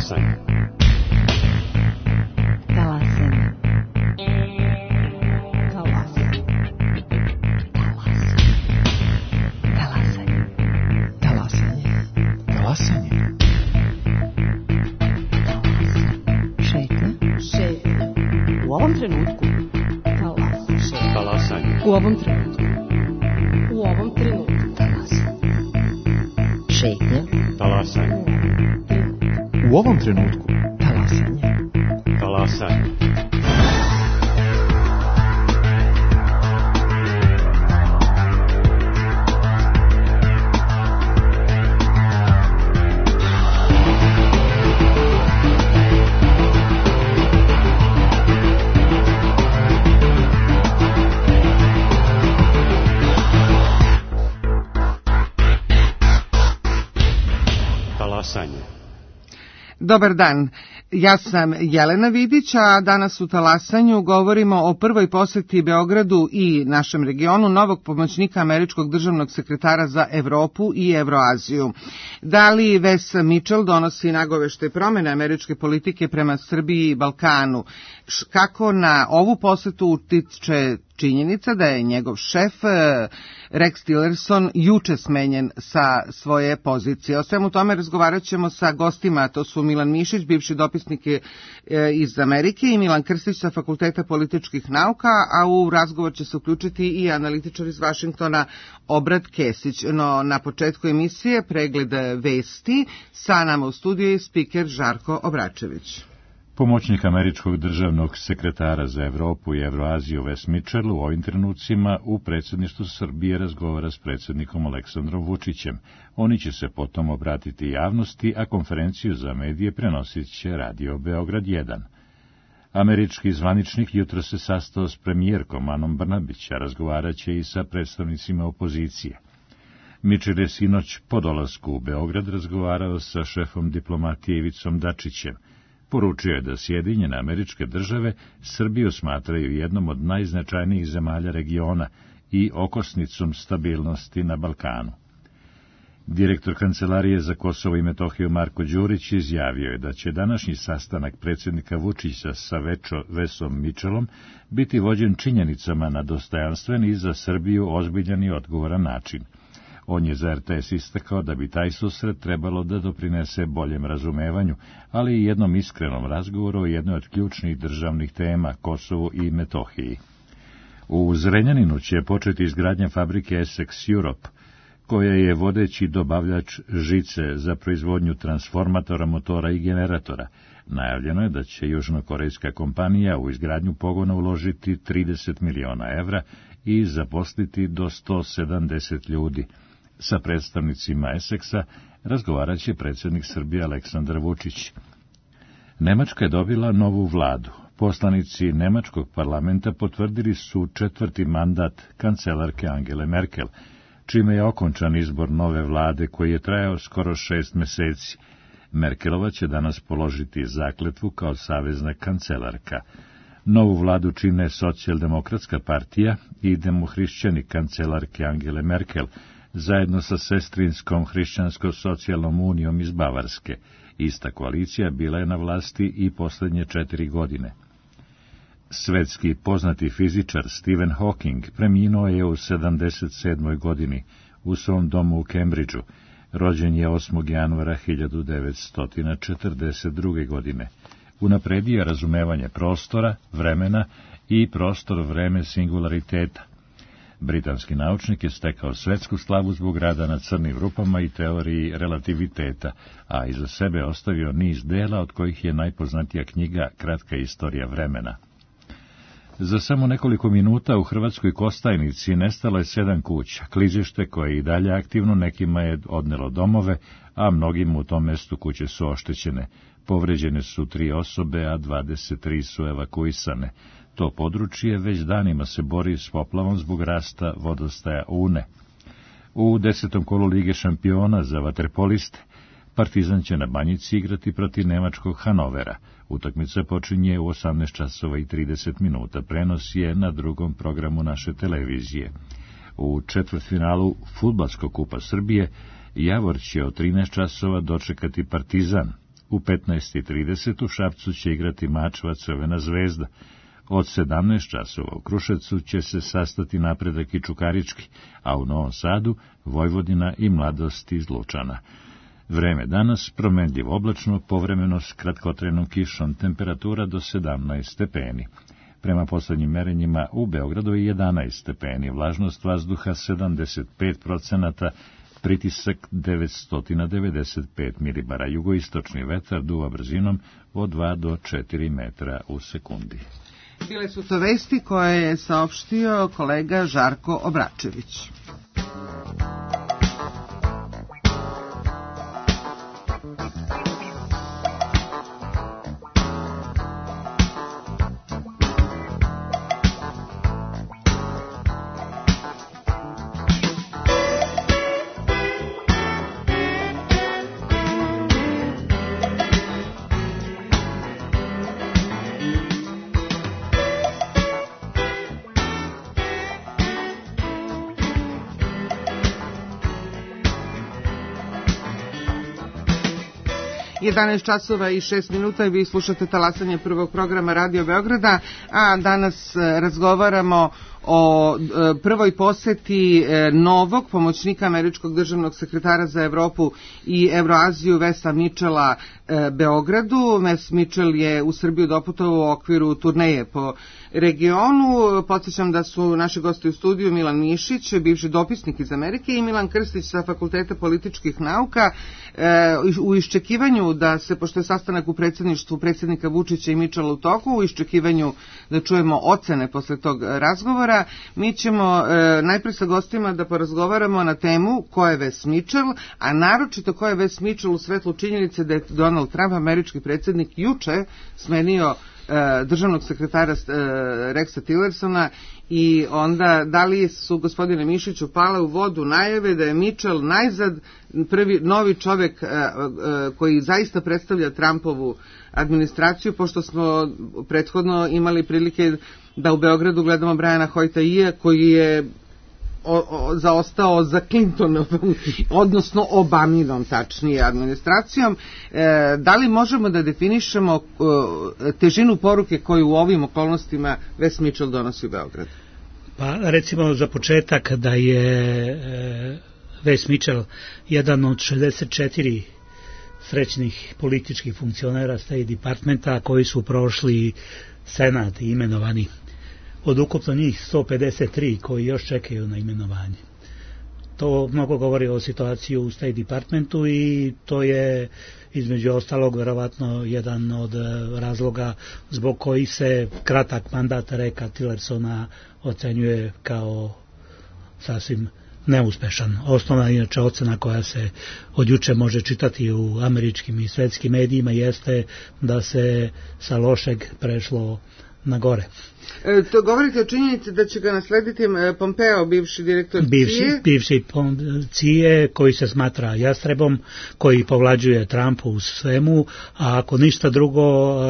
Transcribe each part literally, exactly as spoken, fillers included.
Talasanje. Talasanje. Talasanje. Talasanje. Talasanje. Talasanje. Šetnja. Šetnja. U ovom trenutku. Talasanje. Talasanje. U ovom trenutku. U ovom trenutku. Talasanje. Šetnja. Talasanje. U ovom trenutku. Talasanje. Talasanje. Talasanje. Dobar dan, ja sam Jelena Vidić, a danas u Talasanju govorimo o prvoj poseti Beogradu i našem regionu novog pomoćnika američkog državnog sekretara za Evropu i Evroaziju. Da li Wes Mitchell donosi nagovešte promene američke politike prema Srbiji i Balkanu? Kako na ovu posetu utiče činjenica da je njegov šef Rex Tillerson juče smenjen sa svoje pozicije? O svemu tome razgovarat ćemo sa gostima, to su Milan Mišić, bivši dopisnik iz Amerike, i Milan Krstić sa Fakulteta političkih nauka, a u razgovor će se uključiti i analitičar iz Vašingtona Obrad Kesić. No, na početku emisije pregled vesti, sa nama u studiju je spiker Žarko Obračević. Pomoćnik američkog državnog sekretara za Evropu i Evroaziju Wes Mitchell u ovim trenucima u predsjedništvu Srbije razgovara s predsjednikom Aleksandrom Vučićem. Oni će se potom obratiti javnosti, a konferenciju za medije prenosit će Radio Beograd jedan. Američki zvaničnik jutro se sastao s premijerkom Anom Brnabić, a razgovarat će i sa predstavnicima opozicije. Mitchell je sinoć po dolasku u Beograd razgovarao sa šefom diplomatije Ivicom Dačićem. Poručio je da Sjedinjene Američke Države Srbiju smatraju jednom od najznačajnijih zemalja regiona i okosnicom stabilnosti na Balkanu. Direktor Kancelarije za Kosovo i Metohiju Marko Đurić izjavio je da će današnji sastanak predsjednika Vučića sa Wesom Mitchellom biti vođen činjenicama na dostojanstven i za Srbiju ozbiljan i odgovoran način. On je za er te es istakao da bi taj susret trebalo da doprinese boljem razumevanju, ali i jednom iskrenom razgovoru o jednoj od ključnih državnih tema, Kosovu i Metohiji. U Zrenjaninu će početi izgradnja fabrike Essex Europe, koja je vodeći dobavljač žice za proizvodnju transformatora, motora i generatora. Najavljeno je da će južnokorejska kompanija u izgradnju pogona uložiti trideset miliona evra i zaposliti do sto sedamdeset ljudi. Sa predstavnicima Essexa razgovarat će predsjednik Srbije Aleksandar Vučić. Nemačka je dobila novu vladu. Poslanici nemačkog parlamenta potvrdili su četvrti mandat kancelarke Angele Merkel, čime je okončan izbor nove vlade koji je trajao skoro šest meseci. Merkelova će danas položiti zakletvu kao savezna kancelarka. Novu vladu čine Socijaldemokratska partija i demohrišćani kancelarke Angele Merkel, zajedno sa sestrinskom hrišćansko-socijalnom unijom iz Bavarske. Ista koalicija bila je na vlasti i posljednje četiri godine. Svetski poznati fizičar Stephen Hawking preminuo je u sedamdeset sedmoj godini u svom domu u Cambridgeu. Rođen je osmog januara hiljadu devetsto četrdeset druge. godine. Unapredio je razumevanje prostora, vremena i prostor-vreme singulariteta. Britanski naučnik je stekao svetsku slavu zbog rada na crnim rupama i teoriji relativiteta, a iza sebe ostavio niz dela od kojih je najpoznatija knjiga Kratka istorija vremena. Za samo nekoliko minuta u Hrvatskoj Kostajnici nestalo je sedam kuća. Klizište koje je i dalje aktivno, nekima je odnelo domove, a mnogim u tom mestu kuće su oštećene. Povređene su tri osobe, a dvadeset tri su evakuisane. To područje već danima se bori s poplavom zbog rasta vodostaja Une. U desetom kolu Lige šampiona za vaterpoliste Partizan će na Banjici igrati protiv nemačkog Hanovera. Utakmica počinje u osamnaest časova i trideset minuta. Prenos je na drugom programu naše televizije. U četvrtfinalu Fudbalskog kupa Srbije Javor će od trinaest časova dočekati Partizan. U petnaest i trideset u Šapcu će igrati Mačva Crvena zvezda. Od sedamnaest časova u Kruševcu će se sastati Napredak i Čukarički, a u Novom Sadu Vojvodina i Mladost iz Lučana. Vreme danas promenljivo oblačno, povremeno s kratkotrajnom kišom, temperatura do sedamnaest stepeni. Prema poslednjim merenjima u Beogradu je jedanaest stepeni, vlažnost vazduha sedamdeset pet procenata, pritisak devetsto devedeset pet milibara, jugoistočni vetar duva brzinom od dva do četiri metra u sekundi. Bile su to vesti koje je saopštio kolega Žarko Obračević. jedanaest časova i šest minuta i vi slušate talasanje prvog programa Radio Beograda, a danas razgovaramo o prvoj poseti novog pomoćnika američkog državnog sekretara za Evropu i Evroaziju Vesa Mitchella Beogradu. Ves Mitchell je u Srbiju doputovao u okviru turneje po regionu. Podsjećam da su naši gosti u studiju Milan Mišić, bivši dopisnik iz Amerike, i Milan Krstić sa Fakulteta političkih nauka. U iščekivanju da se, pošto je sastanak u predsjedništvu predsjednika Vučića i Mitchella u toku, u iščekivanju da čujemo ocene posle tog razgovora, mi ćemo e, najpre sa gostima da porazgovaramo na temu ko je Ves Mitchell, a naročito ko je Ves Mitchell u svetlu činjenice da je Donald Trump, američki predsjednik, juče smenio e, državnog sekretara e, Rexa Tillersona, i onda da li su, gospodine Mišiću, pale u vodu najave da je Mitchell najzad prvi novi čovek e, e, koji zaista predstavlja Trumpovu administraciju, pošto smo prethodno imali prilike da u Beogradu gledamo Briana Hoyta-Ija koji je o, o, zaostao za Clintonovom, odnosno Obaminom, tačnije, administracijom. E, da li možemo da definišemo e, težinu poruke koju u ovim okolnostima Ves Mitchell donosi u Beograd? Pa recimo za početak da je e, Ves Mitchell jedan od šezdeset četiri srećnih političkih funkcionera State Departmenta koji su prošli Senat i imenovani. Od ukupno njih sto pedeset tri koji još čekaju na imenovanje. To mnogo govori o situaciji u State Departmentu i to je između ostalog verovatno jedan od razloga zbog koji se kratak mandat Rexa Tillersona ocenjuje kao sasvim neuspešan. Osnovna inače ocena koja se od juče može čitati u američkim i svetskim medijima jeste da se sa lošeg prešlo na gore. E, to govorite o činjenici da će ga naslediti Pompeo, bivši direktor bivši, C I A? Bivši C I A koji se smatra jastrebom, koji povlađuje Trumpu u svemu, a ako ništa drugo,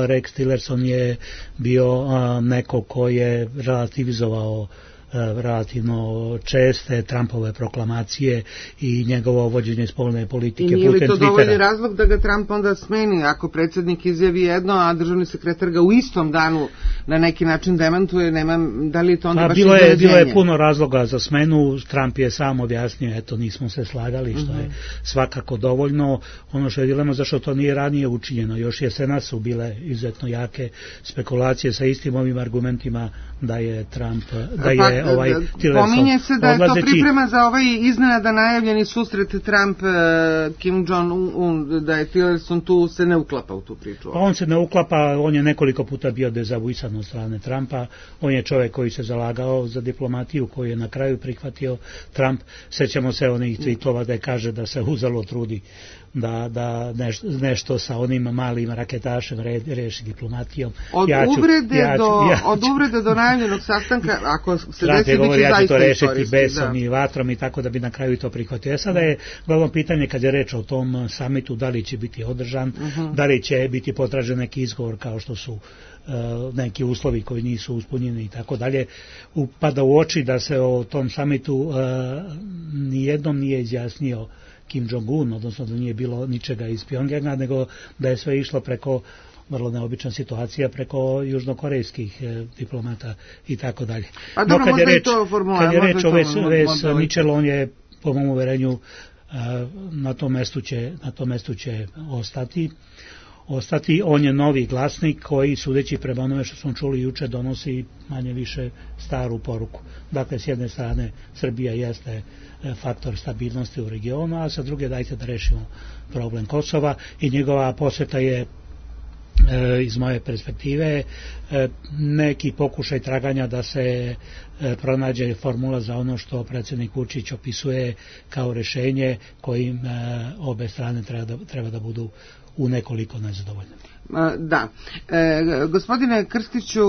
Rex Tillerson je bio a, neko ko je relativizovao relativno česte Trumpove proklamacije i njegovo vođenje spoljne politike putem Twittera. I nije li to dovoljni razlog da ga Trump onda smeni, ako predsjednik izjavi jedno, a državni sekretar ga u istom danu na neki način demantuje, nema, da li je to onda pa, baš bilo je, bilo je puno razloga za smenu, Trump je sam objasnio, eto, nismo se slagali, što uh-huh. je svakako dovoljno. Ono što je dilema, zašto to nije ranije učinjeno, još jesena su bile izuzetno jake spekulacije sa istim ovim argumentima da je Trump, da je pa, ovaj Tillerson pominje se da je odlazeći... to priprema za ovaj iznenada najavljeni susret Trump Kim Jong-un, da je Tillerson tu se ne uklapa u tu priču. Pa on se ne uklapa, on je nekoliko puta bio dezavuisan od strane Trumpa, on je čovjek koji se zalagao za diplomatiju, koji je na kraju prihvatio Trump. Sećamo se onih tweetova da je kaže da se uzalo trudi da, da nešto, nešto sa onim malim raketašem re, reši diplomatijom. Od, ja ću, uvrede ja ću, do, ja ću. od uvrede do najavljenog sastanka, ako se Trump je govorio ja ću to rešiti besom da. i vatrom i tako da bi na kraju to prihvatio. E sada je glavno pitanje kad je reč o tom samitu, da li će biti održan, uh-huh. da li će biti potražen neki izgovor kao što su uh, neki uslovi koji nisu uspunjeni i tako dalje. Upada u oči da se o tom samitu uh, nijednom nije izjasnio Kim Jong-un, odnosno da nije bilo ničega iz Pjongjanga, nego da je sve išlo preko, vrlo neobična situacija, preko južnokorejskih eh, diplomata i tako dalje. A dobro, no, kad je reč, kad je reč o Ves Mitchell, on je, po mom uverenju, eh, na tom mestu će, na tom mestu će ostati. ostati. On je novi glasnik koji, sudeći prema onome što smo čuli juče, donosi manje više staru poruku. Dakle, s jedne strane, Srbija jeste faktor stabilnosti u regionu, a sa druge dajte da rešimo problem Kosova i njegova poseta je e, iz moje perspektive e, neki pokušaj traganja da se e, pronađe formula za ono što predsjednik Vučić opisuje kao rešenje kojim e, obe strane treba da, treba da budu u nekoliko nezadovoljne. Da. E, gospodine Krstiću,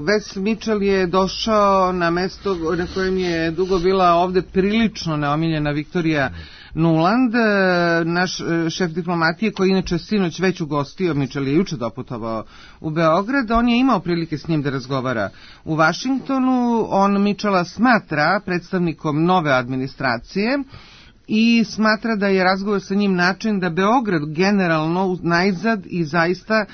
Wes Mitchell je došao na mesto na kojem je dugo bila ovde prilično neomiljena Viktorija Nuland, naš šef diplomatije koji inače sinoć već ugostio, Mitchell je juče doputovao u Beograd, on je imao prilike s njim da razgovara u Vašingtonu, on Mitchella smatra predstavnikom nove administracije i smatra da je razgovor sa njim način da Beograd generalno najzad i zaista e,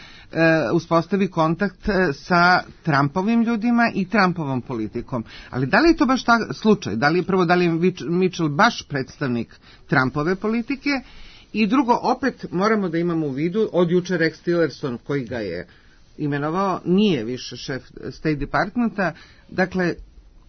uspostavi kontakt sa Trumpovim ljudima i Trumpovom politikom. Ali da li je to baš ta slučaj? Da li je prvo, da li je Mitchell baš predstavnik Trumpove politike? I drugo, opet moramo da imamo u vidu, od juče Rex Tillerson koji ga je imenovao, nije više šef State Departmenta, dakle,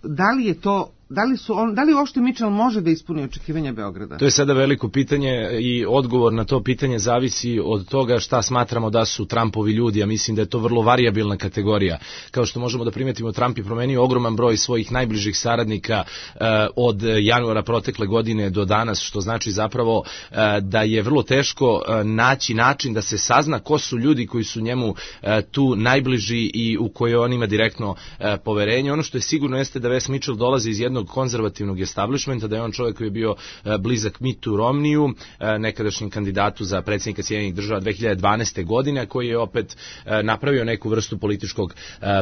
da li je to Da li, su on, da li uopšte Mitchell može da ispuni očekivanja Beograda? To je sada veliko pitanje i odgovor na to pitanje zavisi od toga šta smatramo da su Trumpovi ljudi. Ja mislim da je to vrlo varijabilna kategorija. Kao što možemo da primetimo, Trump je promenio ogroman broj svojih najbližih saradnika eh, od januara protekle godine do danas, što znači zapravo eh, da je vrlo teško eh, naći način da se sazna ko su ljudi koji su njemu eh, tu najbliži i u koje on ima direktno eh, poverenje. Ono što je sigurno jeste da Wes Mitchell dolazi iz jednog konzervativnog establishmenta, da je on čovjek koji je bio blizak Mittu Romneyu, nekadašnjem kandidatu za predsjednika Sjedinjenih Država dve hiljade dvanaeste. godine, koji je opet napravio neku vrstu političkog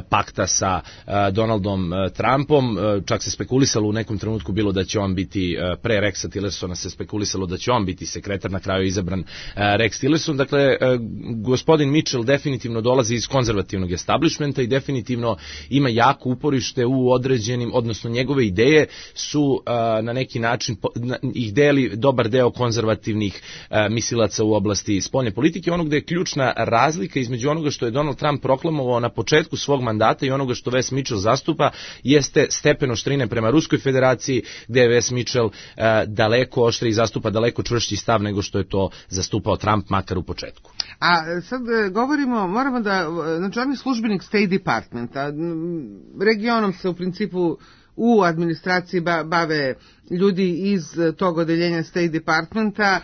pakta sa Donaldom Trumpom. Čak se spekulisalo u nekom trenutku bilo da će on biti, pre Rexa Tillersona se spekulisalo da će on biti sekretar, na kraju izabran Rex Tillerson. Dakle, gospodin Mitchell definitivno dolazi iz konzervativnog establishmenta i definitivno ima jako uporište u određenim, odnosno njegove ideje su uh, na neki način na, ih deli dobar deo konzervativnih uh, mislilaca u oblasti spoljne politike, onog gde je ključna razlika između onoga što je Donald Trump proklamovao na početku svog mandata i onoga što Wes Mitchell zastupa jeste stepen oštrine prema Ruskoj federaciji, gde je Wes Mitchell uh, daleko oštriji i zastupa daleko čvršći stav nego što je to zastupao Trump, makar u početku. A sad govorimo, moramo da, znači on je službenik State Departmenta, regionom se u principu u administraciji bave ljudi iz tog odeljenja State Departmenta.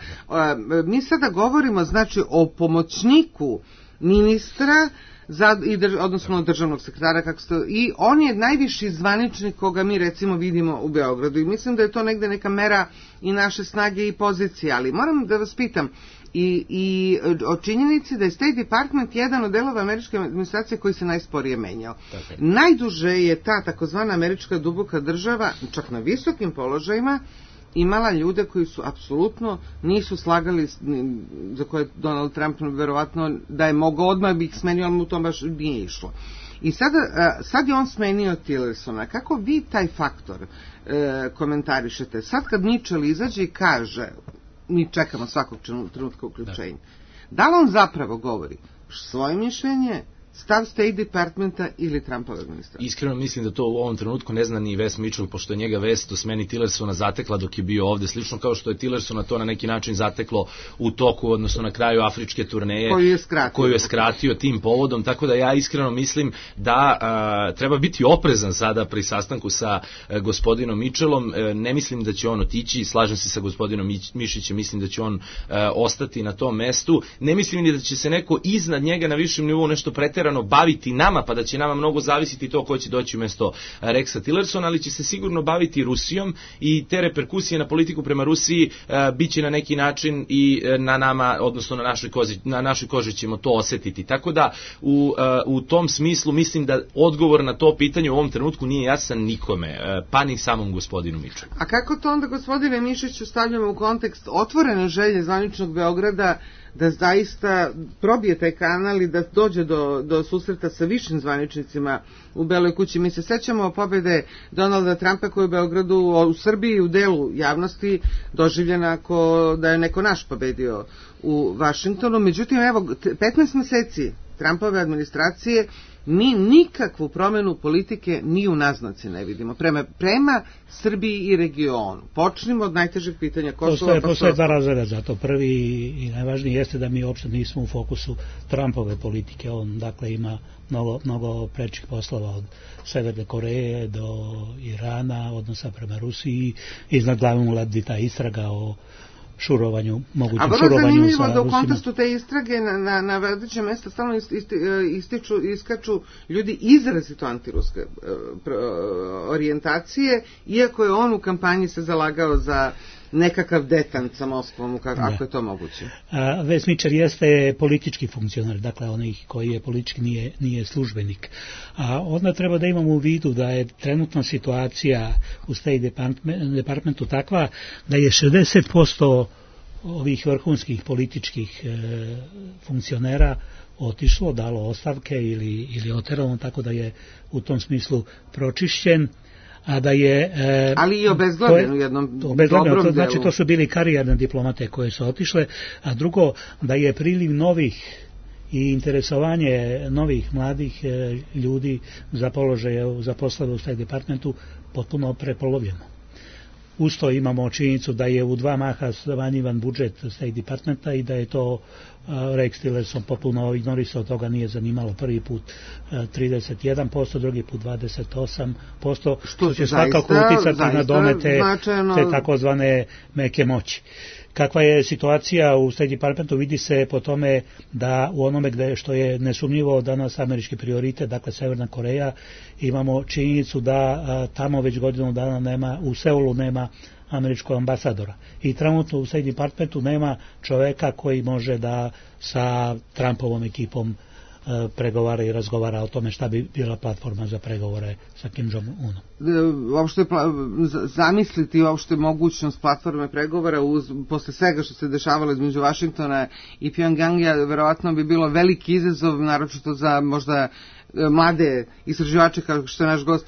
Mi sada govorimo znači o pomoćniku ministra, za, i drž, odnosno državnog sekretara, kako ste, i on je najviši zvaničnik koga mi recimo vidimo u Beogradu i mislim da je to negde neka mera i naše snage i pozicije, ali moram da vas pitam, i, i o činjenici da je State Department jedan od delova američke administracije koji se najsporije menjao. Tako. Najduže je ta takozvana američka duboka država, čak na visokim položajima, imala ljude koji su apsolutno nisu slagali, za koje Donald Trump verovatno da je mogao odmah bi ih smenio, ali mu to baš nije išlo. I sada, sad je on smenio Tillersona. Kako vi taj faktor e, komentarišete? Sad kad Mitchell izađe i kaže, mi čekamo svakog trenutka uključenja, da li on zapravo govori svoje mišljenje, stav State Departmenta ili Trumpove administracije? Iskreno mislim da to u ovom trenutku ne zna ni Wes Mitchell, pošto je njega vest o smeni Tillersona zatekla dok je bio ovde, slično kao što je Tillersona to na neki način zateklo u toku, odnosno na kraju afričke turneje koju je skratio, koju je skratio tim povodom, tako da ja iskreno mislim da a, treba biti oprezan sada pri sastanku sa a, gospodinom Mitchellom. E, ne mislim da će on otići, slažem se sa gospodinom Mišićem, mislim da će on a, ostati na tom mestu, ne mislim ni da će se neko iznad njega na višem nivou nešto preterano preterano baviti nama, pa da će nama mnogo zavisiti to ko će doći umjesto Rexa Tillersona, ali će se sigurno baviti Rusijom i te reperkusije na politiku prema Rusiji bit će na neki način i na nama, odnosno na našoj koži, na našoj koži ćemo to osjetiti. Tako da u, u tom smislu mislim da odgovor na to pitanje u ovom trenutku nije jasan nikome, pa ni samom gospodinu Mičelu. A kako to onda, gospodine Mišiću, stavljamo u kontekst otvorene želje zvaničnog Beograda da zaista probije taj kanal i da dođe do, do susreta sa višim zvaničnicima u Beloj kući? Mi se sećamo pobede Donalda Trumpa koji u Beogradu, u Srbiji, u delu javnosti doživljena ako da je neko naš pobedio u Vašingtonu. Međutim, evo, petnaest meseci Trumpove administracije mi nikakvu promenu politike ni u naznaci ne vidimo prema, prema Srbiji i regionu. Počnimo od najtežeg pitanja Kosova. Postoje, pa postoje dva razloga za to. Prvi i najvažniji jeste da mi uopšte nismo u fokusu Trumpove politike. On dakle ima mnogo, mnogo prečih poslova od Severne Koreje do Irana, odnosa prema Rusiji, iznad glavom ulazi ta istraga o šurovanju, mogućem šurovanju sa Rusima. A vrlo zanimljivo da u kontekstu te istrage na, na, na vodećem mjestu stalno isti, isti, ističu, iskaču ljudi izrazito antiruske uh, orijentacije, iako je on u kampanji se zalagao za nekakav detant sa Moskvom, ako je to moguće. Wes Mitchell jeste politički funkcionar, dakle onih koji je politički nije, nije službenik. A onda treba da imamo u vidu da je trenutna situacija u State Department, Departmentu takva da je šezdeset posto ovih vrhunskih političkih e, funkcionera otišlo, dalo ostavke ili, ili oterano, tako da je u tom smislu pročišćen. A da je e, ali i obezglavljen u jednom dobrom to znači delu. To su bili karijerne diplomate koje su otišle, a drugo da je priliv novih i interesovanje novih mladih e, ljudi za položaje, za poslove u State Departmentu potpuno prepolovljeno. Usto imamo činjenicu da je u dva maha smanjivan budžet State Departmenta i da je to uh, Rex Tillerson potpuno ignorisao, toga nije zanimalo. Prvi put uh, trideset jedan posto, drugi put dvadeset osam posto, što, što će svakako uticati na domete značajno te takozvane meke moći. Kakva je situacija u State Departmentu vidi se po tome da u onome gde što je nesumnjivo danas američki prioritet, dakle Severna Koreja, imamo činjenicu da a, tamo već godinu dana nema, u Seulu nema američkog ambasadora. I trenutno u State Departmentu nema čoveka koji može da sa Trumpovom ekipom pregovara i razgovara o tome šta bi bila platforma za pregovore sa Kim Jong-unom. Uopšte zamisliti uopšte mogućnost platforme pregovora uz, posle svega što se dešavalo između Vašingtona i Pyongyanga, verovatno bi bilo veliki izazov, naročito za možda mlade istraživače kao što je naš gost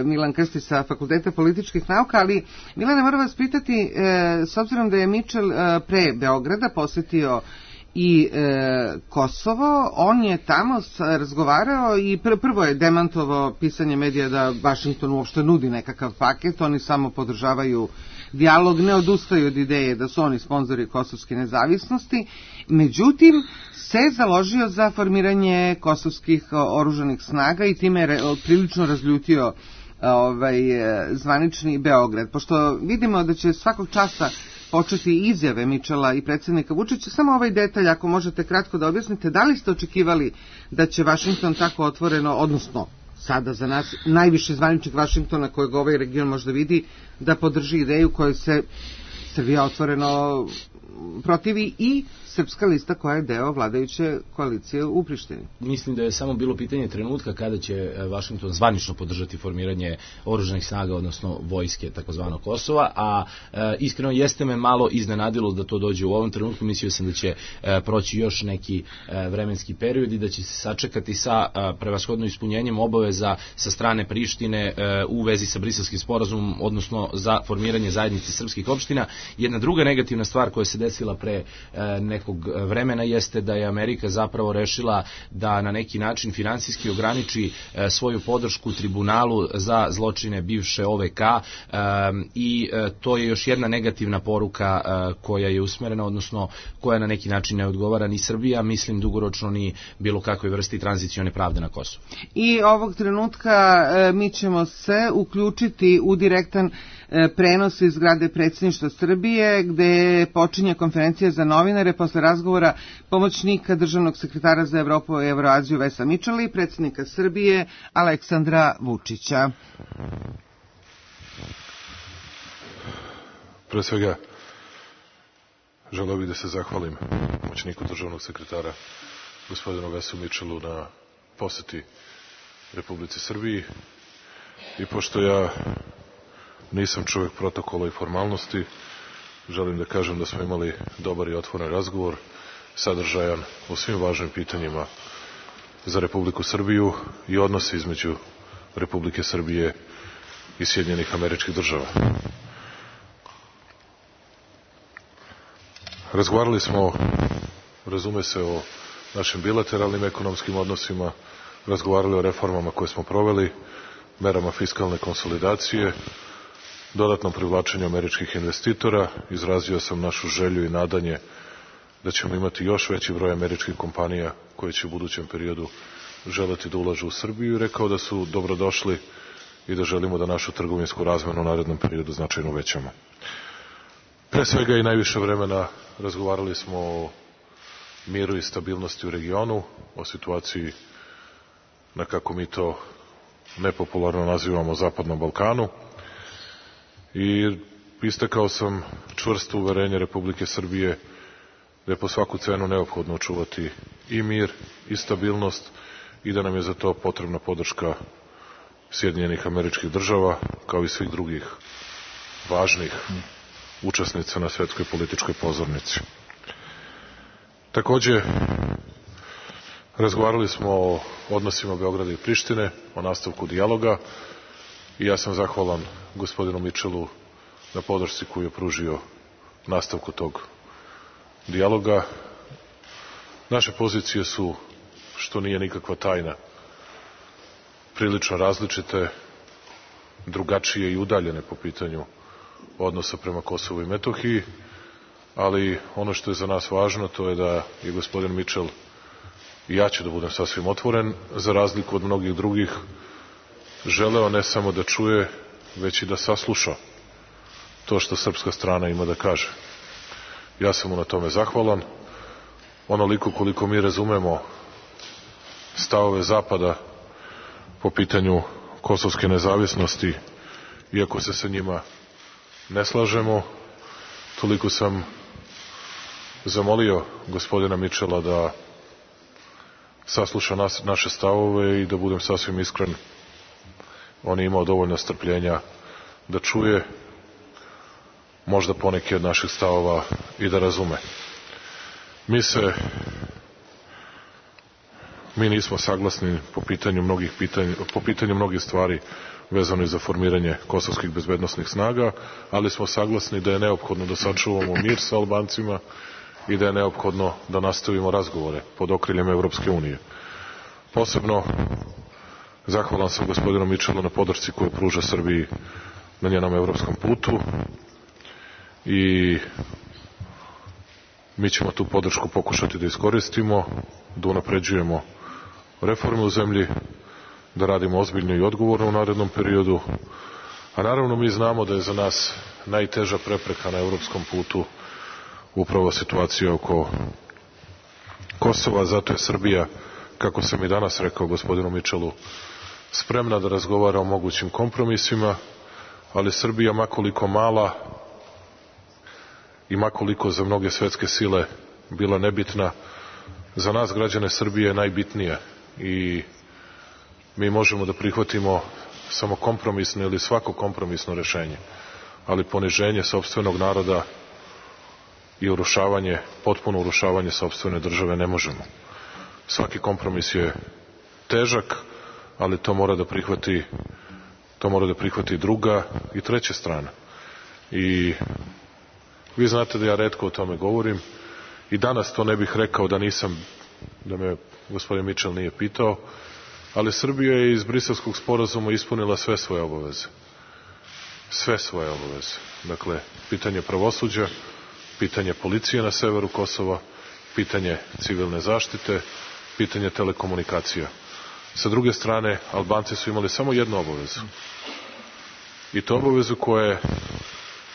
Milan Krstić sa Fakulteta političkih nauka, ali Milane, moram vas pitati, s obzirom da je Mitchell pre Beograda posetio i e, Kosovo, on je tamo razgovarao i pr prvo je demantovao pisanje medija da Vašington uopšte nudi nekakav paket, oni samo podržavaju dijalog, ne odustaju od ideje da su oni sponzori kosovske nezavisnosti, međutim se založio za formiranje kosovskih oružanih snaga i time je prilično razljutio ovaj, zvanični Beograd. Pošto vidimo da će svakog časa početi izjave Mitchella i predsjednika Vučića, samo ovaj detalj, ako možete kratko da objasnite, da li ste očekivali da će Vašington tako otvoreno, odnosno sada za nas najviše zvaničnik Vašingtona kojeg ovaj region možda vidi, da podrži ideju koju se Srbija otvoreno protivi i Srpska lista koja je deo vladajuće koalicije u Prištini? Mislim da je samo bilo pitanje trenutka kada će Vašington zvanično podržati formiranje oružanih snaga, odnosno vojske takozvanog Kosova, a e, iskreno jeste me malo iznenadilo da to dođe u ovom trenutku. Mislio sam da će e, proći još neki e, vremenski period i da će se sačekati sa e, prevashodno ispunjenjem obaveza sa strane Prištine e, u vezi sa Briselskim sporazumom, odnosno za formiranje zajednice srpskih opština. Jedna druga negativna stvar koja se desila pre e, nekog vremena jeste da je Amerika zapravo rešila da na neki način finansijski ograniči e, svoju podršku tribunalu za zločine bivše O V K e, i e, to je još jedna negativna poruka e, koja je usmerena, odnosno koja na neki način ne odgovara ni Srbija, mislim dugoročno ni bilo kakve vrsti tranzicione pravde na Kosovu. I ovog trenutka e, mi ćemo se uključiti u direktan prenos iz zgrade predsjedništva Srbije, gde počinje konferencija za novinare posle razgovora pomoćnika državnog sekretara za Evropu i Evroaziju Vesa Mičela i predsjednika Srbije Aleksandra Vučića. Pre svega, želeo bih da se zahvalim pomoćniku državnog sekretara gospodinu Vesu Mičelu na poseti Republici Srbiji i pošto ja nisam čovjek protokola i formalnosti, želim da kažem da smo imali dobar i otvoren razgovor, sadržajan u svim važnim pitanjima za Republiku Srbiju i odnose između Republike Srbije i Sjedinjenih Američkih Država. Razgovarali smo, razume se, o našim bilateralnim ekonomskim odnosima, razgovarali o reformama koje smo proveli, merama fiskalne konsolidacije, dodatnom privlačenju američkih investitora. Izrazio sam našu želju i nadanje da ćemo imati još veći broj američkih kompanija koje će u budućem periodu želeti da ulažu u Srbiju i rekao da su dobrodošli i da želimo da našu trgovinsku razmenu u narednom periodu značajno uvećamo. Pre svega i najviše vremena razgovarali smo o miru i stabilnosti u regionu, o situaciji na, kako mi to nepopularno nazivamo, Zapadnom Balkanu, i istakao sam čvrsto uverenje Republike Srbije da je po svaku cenu neophodno očuvati i mir i stabilnost i da nam je za to potrebna podrška Sjedinjenih Američkih Država, kao i svih drugih važnih učesnica na svetskoj političkoj pozornici. Takođe, razgovarali smo o odnosima Beograda i Prištine, o nastavku dijaloga i ja sam zahvalan gospodinu Mičelu na podršci koju je pružio nastavku tog dijaloga. Naše pozicije su, što nije nikakva tajna, prilično različite, drugačije i udaljene po pitanju odnosa prema Kosovu i Metohiji, ali ono što je za nas važno to je da je gospodin Mičel, i ja ću da budem sasvim otvoren, za razliku od mnogih drugih, želeo ne samo da čuje, već i da sasluša to što srpska strana ima da kaže. Ja sam mu na tome zahvalan. Onoliko koliko mi razumemo stavove Zapada po pitanju kosovske nezavisnosti, iako se sa njima ne slažemo, toliko sam zamolio gospodina Mičela da sasluša nas, naše stavove i da budem sasvim iskren, on je imao dovoljno strpljenja da čuje, možda poneki od naših stavova i da razume. Mi se, mi nismo saglasni po pitanju mnogih pitanja, po pitanju mnogih stvari vezano i za formiranje kosovskih bezbednosnih snaga, ali smo saglasni da je neophodno da sačuvamo mir sa Albancima i da je neophodno da nastavimo razgovore pod okriljem Evropske unije. Posebno zahvalan sam gospodinu Mičelu na podršci koju pruža Srbiji na njenom evropskom putu i mi ćemo tu podršku pokušati da iskoristimo, da unapređujemo reforme u zemlji, da radimo ozbiljno i odgovorno u narednom periodu, a naravno mi znamo da je za nas najteža prepreka na evropskom putu upravo situacija oko Kosova, zato je Srbija, kako sam i danas rekao gospodinu Mičelu, spremna da razgovara o mogućim kompromisima, ali Srbija, makoliko mala i makoliko za mnoge svetske sile bila nebitna, za nas građane Srbije je najbitnija i mi možemo da prihvatimo samo kompromisno ili svako kompromisno rešenje, ali poniženje sopstvenog naroda i urušavanje, potpuno urušavanje sopstvene države ne možemo. Svaki kompromis je težak, ali to mora da prihvati to mora da prihvati druga i treća strana. I vi znate da ja retko o tome govorim i danas to ne bih rekao da nisam, da me gospodin Mičel nije pitao, ali Srbija je iz Briselskog sporazuma ispunila sve svoje obaveze. Sve svoje obaveze. Dakle, pitanje pravosuđa, pitanje policije na severu Kosova, pitanje civilne zaštite, pitanje telekomunikacija. Sa druge strane, Albanci su imali samo jednu obavezu. i to obavezu koja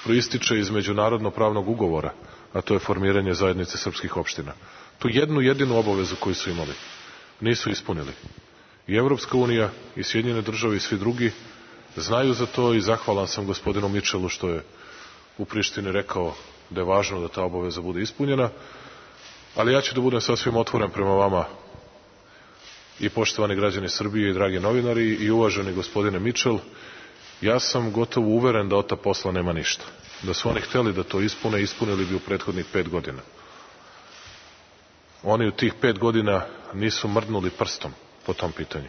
proističe iz međunarodno pravnog ugovora, a to je formiranje zajednice srpskih opština. Tu jednu jedinu obavezu koju su imali nisu ispunili. I Evropska unija, i Sjedinjene države i svi drugi znaju za to i zahvalan sam gospodinu Mičelu što je u Prištini rekao da je važno da ta obaveza bude ispunjena, ali ja ću da budem sasvim otvoren prema vama i poštovani građani Srbije i dragi novinari i uvaženi gospodine Mičel. Ja sam gotovo uveren da od ta posla nema ništa. Da su oni hteli da to ispune, ispunili bi u prethodnih pet godina. Oni u tih pet godina nisu mrdnuli prstom po tom pitanju.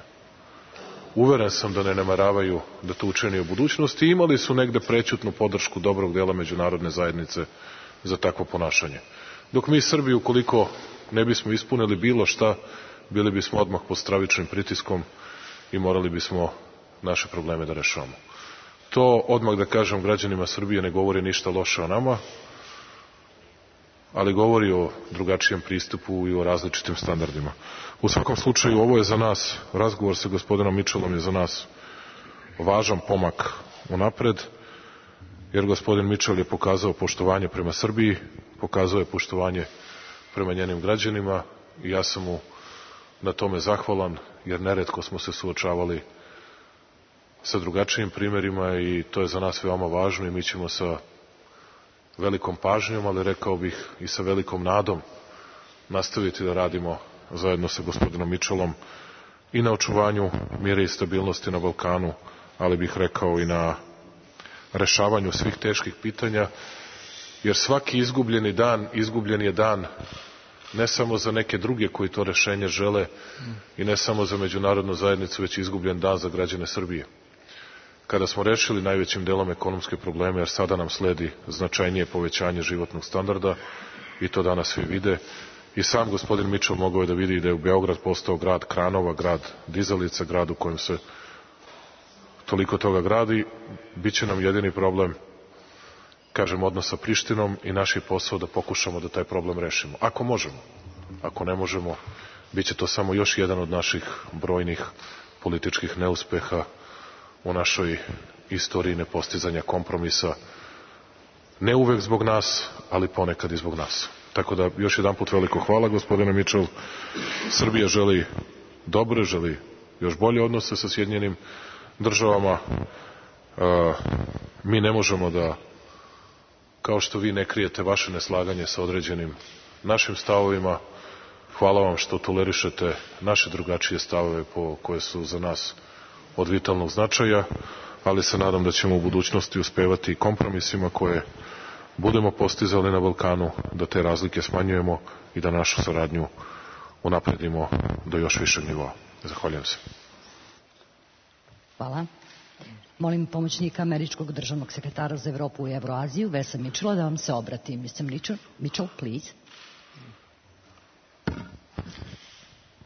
Uveren sam da ne namaravaju da to učini u budućnosti i imali su negde prećutnu podršku dobrog dela međunarodne zajednice za takvo ponašanje. Dok mi Srbi, ukoliko ne bismo ispunili bilo šta, bili bismo odmah pod stravičnim pritiskom i morali bismo naše probleme da rešavamo. To, odmah da kažem građanima Srbije, ne govori ništa loše o nama, ali govori o drugačijem pristupu i o različitim standardima. U svakom slučaju, ovo je za nas, razgovor sa gospodinom Mičelom je za nas važan pomak unapred, jer gospodin Mičel je pokazao poštovanje prema Srbiji, pokazao je poštovanje prema njenim građanima i ja sam mu na tome zahvalan, jer neretko smo se suočavali sa drugačijim primerima i to je za nas veoma važno i mi ćemo sa velikom pažnjom, ali rekao bih i sa velikom nadom nastaviti da radimo zajedno sa gospodinom Mičelom i na očuvanju mira i stabilnosti na Balkanu, ali bih rekao i na rešavanju svih teških pitanja, jer svaki izgubljeni dan, izgubljen je dan ne samo za neke druge koji to rešenje žele i ne samo za međunarodnu zajednicu, već izgubljen dan za građane Srbije. Kada smo rešili najvećim delom ekonomske probleme, jer sada nam sledi značajnije povećanje životnog standarda i to danas svi vide, i sam gospodin Mičel mogao je da vidi da je u Beograd postao grad kranova, grad dizalica, grad u kojem se toliko toga gradi, bit će nam jedini problem, kažem, odnos sa Prištinom i naš je posao da pokušamo da taj problem rešimo. Ako možemo. Ako ne možemo, bit će to samo još jedan od naših brojnih političkih neuspeha u našoj istoriji nepostizanja kompromisa. Ne uvek zbog nas, ali ponekad i zbog nas. Tako da još jedan put veliko hvala, gospodine Mičel. Srbija želi dobre, želi još bolje odnose sa Sjedinjenim državama. E, mi ne možemo da, kao što vi ne krijete vaše neslaganje sa određenim našim stavovima, hvala vam što tolerišete naše drugačije stavove po, koje su za nas od vitalnog značaja, ali se nadam da ćemo u budućnosti uspevati kompromisima koje budemo postizali na Balkanu, da te razlike smanjujemo i da našu saradnju unapredimo do još višeg nivoa. Zahvaljujem se. Hvala. Molim pomoćnika američkog državnog sekretara za Evropu i Evroaziju, Vesa Mičela, da vam se obrati. mister Mitchell, Mitchell, please.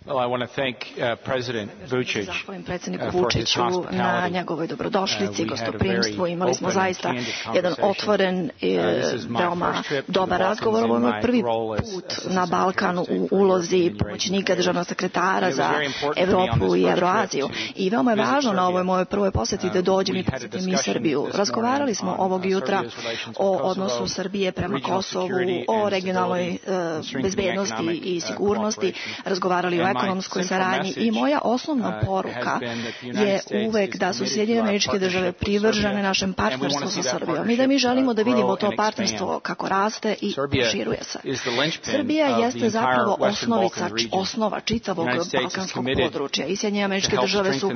Well, I want to thank uh, President Vučić Zahvalim predsjedniku Vučiću na njegovoj dobrodošlici, gostoprimstvu. Imali smo zaista jedan otvoren, veoma dobar razgovor. Ovo je moj prvi put na Balkanu u ulozi pomoćnika državnog sekretara za Evropu i Evroaziju. I veoma je važno na ovoj mojoj prvoj posjeti da dođem i posjetim i Srbiju. Razgovarali smo ovog jutra o odnosu Srbije prema Kosovu, o regionalnoj uh, bezbednosti i sigurnosti, razgovarali o ekonomskoj saradnji i moja osnovna poruka je uvek da su Sjedinjene Američke Države privržene našem partnerstvu sa Srbijom i da mi želimo da vidimo to partnerstvo kako raste i proširuje se. Srbija jeste zapravo osnovica, osnova čitavog balkanskog područja i Sjedinjene Američke Države su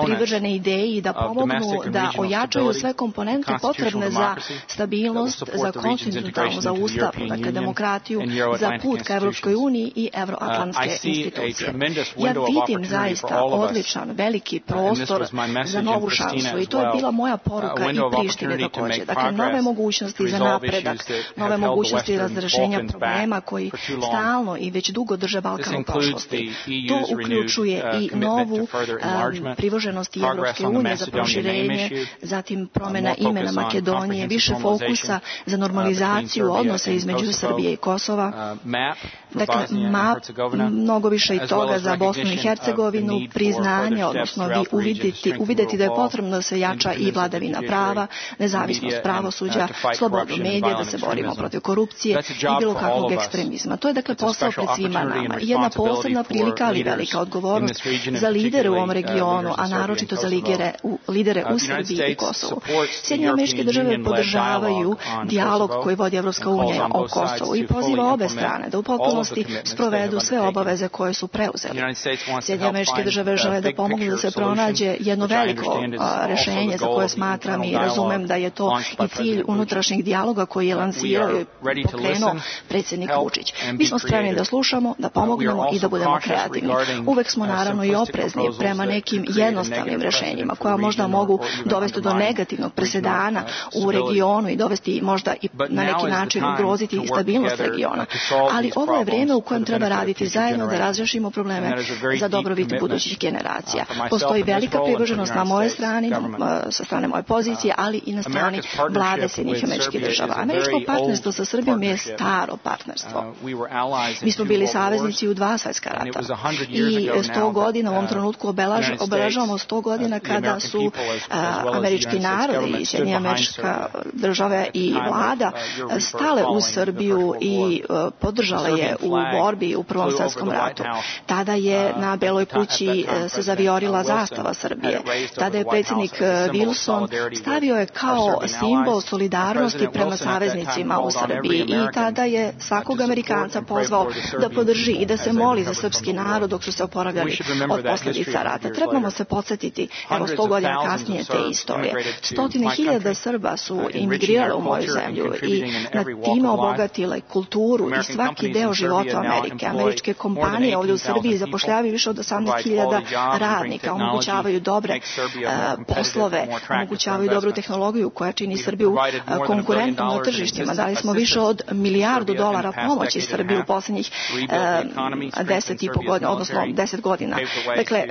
privržene ideji da pomognu da ojačaju sve komponente potrebne za stabilnost, za konstitucionalnu, za ustav, dakle demokratiju, za put ka Evropskoj uniji i evroatlantske institucije. Ja vidim zaista odličan, veliki prostor za novu šansu i to je bila moja poruka i Prištine također. Dakle, nove mogućnosti za napredak, nove mogućnosti razrešenja problema koji stalno i već dugo drže Balkan u prošlosti. To uključuje i novu um, privrženost Evropske unije za proširenje, zatim promjena imena Makedonije, više fokusa za normalizaciju odnosa između Srbije i Kosova, Dakle, ma, mnogo više i toga za Bosnu i Hercegovinu, priznanje, odnosno vi uviditi, uvideti da je potrebno da se jača i vladavina prava, nezavisnost pravosuđa, slobodu medija, da se borimo protiv korupcije i bilo kakvog ekstremizma. To je dakle posao pred svima nama. Jedna posebna prilika, ali velika odgovornost za lidere u ovom regionu, a naročito za lidere u, lidere u Srbiji i Kosovu. Sjedinjene Američke Države podržavaju dijalog koji vodi Evropska unija o Kosovu i poziva obe strane da u potpunosti sprovedu sve obaveze koje su preuzeli. Sjedinjene Američke Države žele da pomognu da se pronađe jedno veliko a, rešenje za koje smatram i razumem da je to i cilj unutrašnjeg dijaloga koji je lansirao i pokrenuo predsjednik Vučić. Mi smo spremni da slušamo, da pomognemo i da budemo kreativni. Uvek smo naravno i oprezni prema nekim jednostavnim rešenjima koja možda mogu dovesti do negativnog presedana u regionu i dovesti možda i na neki način ugroziti stabilnost regiona. Ali ovo je vrijeme u kojem treba raditi zajedno da razrešimo probleme za dobrobit budućih generacija. Postoji velika privrženost na moje strani, sa strane moje pozicije, ali i na strani vlade Sjedinjenih Američkih Država. Američko partnerstvo sa Srbijom je staro partnerstvo. Mi smo bili saveznici u dva svjetska rata i sto godina u ovom trenutku obelaž, obeležavamo sto godina kada su a, američki narodi i Sjedinjene Američke Države i vlada stale uz Srbiju i a, podržale je u borbi u Prvom svjetskom ratu. Tada je na Beloj kući se zaviorila zastava Srbije. Tada je predsjednik Wilson stavio je kao simbol solidarnosti prema saveznicima u Srbiji i tada je svakog Amerikanca pozvao da podrži i da se moli za srpski narod dok su se oporavljali od posljedica rata. Trebamo se podsjetiti, evo sto godina kasnije te istorije. Stotine hiljada Srba su imigrirali u moju zemlju i na time obogatile kulturu i svaki deo života Amerike. Američke kompanije ovdje u Srbiji zapošljavaju više od osamnaest hiljada radnika, omogućavaju dobre uh, poslove, omogućavaju dobru tehnologiju koja čini Srbiju uh, konkurentnom na tržištima. Dali smo više od milijardu dolara pomoći Srbiji u posljednjih uh, deset i po godina, odnosno deset godina. Dakle,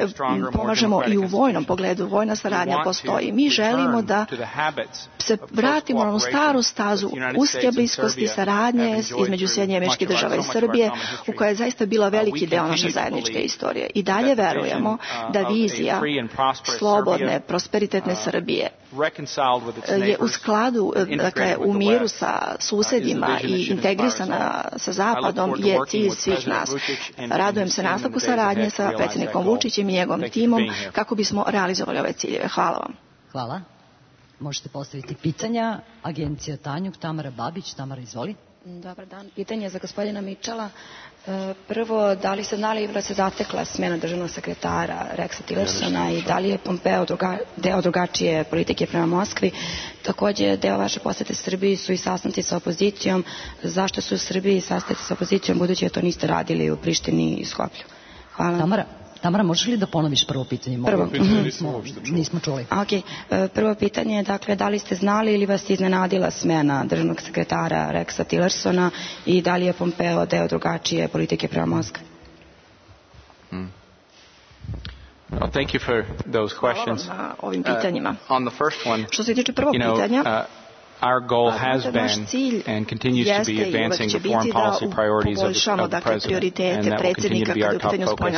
pomažemo i u vojnom pogledu. Vojna saradnja postoji. Mi želimo da se vratimo na onu staru stazu uske bliskosti saradnje između Sjedinjenih Američkih Država i Srbije, u kojoj je zaista bila veliki deo naše zajedničke istorije. I dalje verujemo da vizija slobodne, prosperitetne Srbije je u skladu, dakle, u miru sa susedima i integrisana sa Zapadom je cilj svih nas. Radujem se nastavku saradnje sa predsjednikom Vučićem i njegovim timom kako bismo realizovali ove ciljeve. Hvala vam. Hvala. Možete postaviti pitanja. Agencija Tanjug, Tamara Babić. Tamara, izvoli. Dobar dan. Pitanje za gospodina Mičela. Prvo, da li ste znali da se zatekla smjena državnog sekretara Rexa Tillersona i da li je Pompeo druga, deo drugačije politike prema Moskvi? Također, deo vaše posjete Srbiji su i sastanci sa opozicijom. Zašto su u Srbiji sastanci sa opozicijom, budući da to niste radili u Prištini i Skoplju? Hvala. Tamara. Tamara, možeš li da ponoviš prvo pitanje? Prvo pitanje nismo, nismo čuli. Okay. Prvo pitanje je, dakle, da li ste znali ili vas je iznenadila smjena državnog sekretara Rexa Tillersona i da li je Pompeo deo drugačije politike prema Moskvi? Hmm. Well, thank you for those questions. Hvala vam na ovim pitanjima. Uh, on the first one, što se tiče prvog you know, pitanja, uh, our goal has been and continues to be advancing the foreign policy priorities of the, of the President, and that will continue to be our top focus.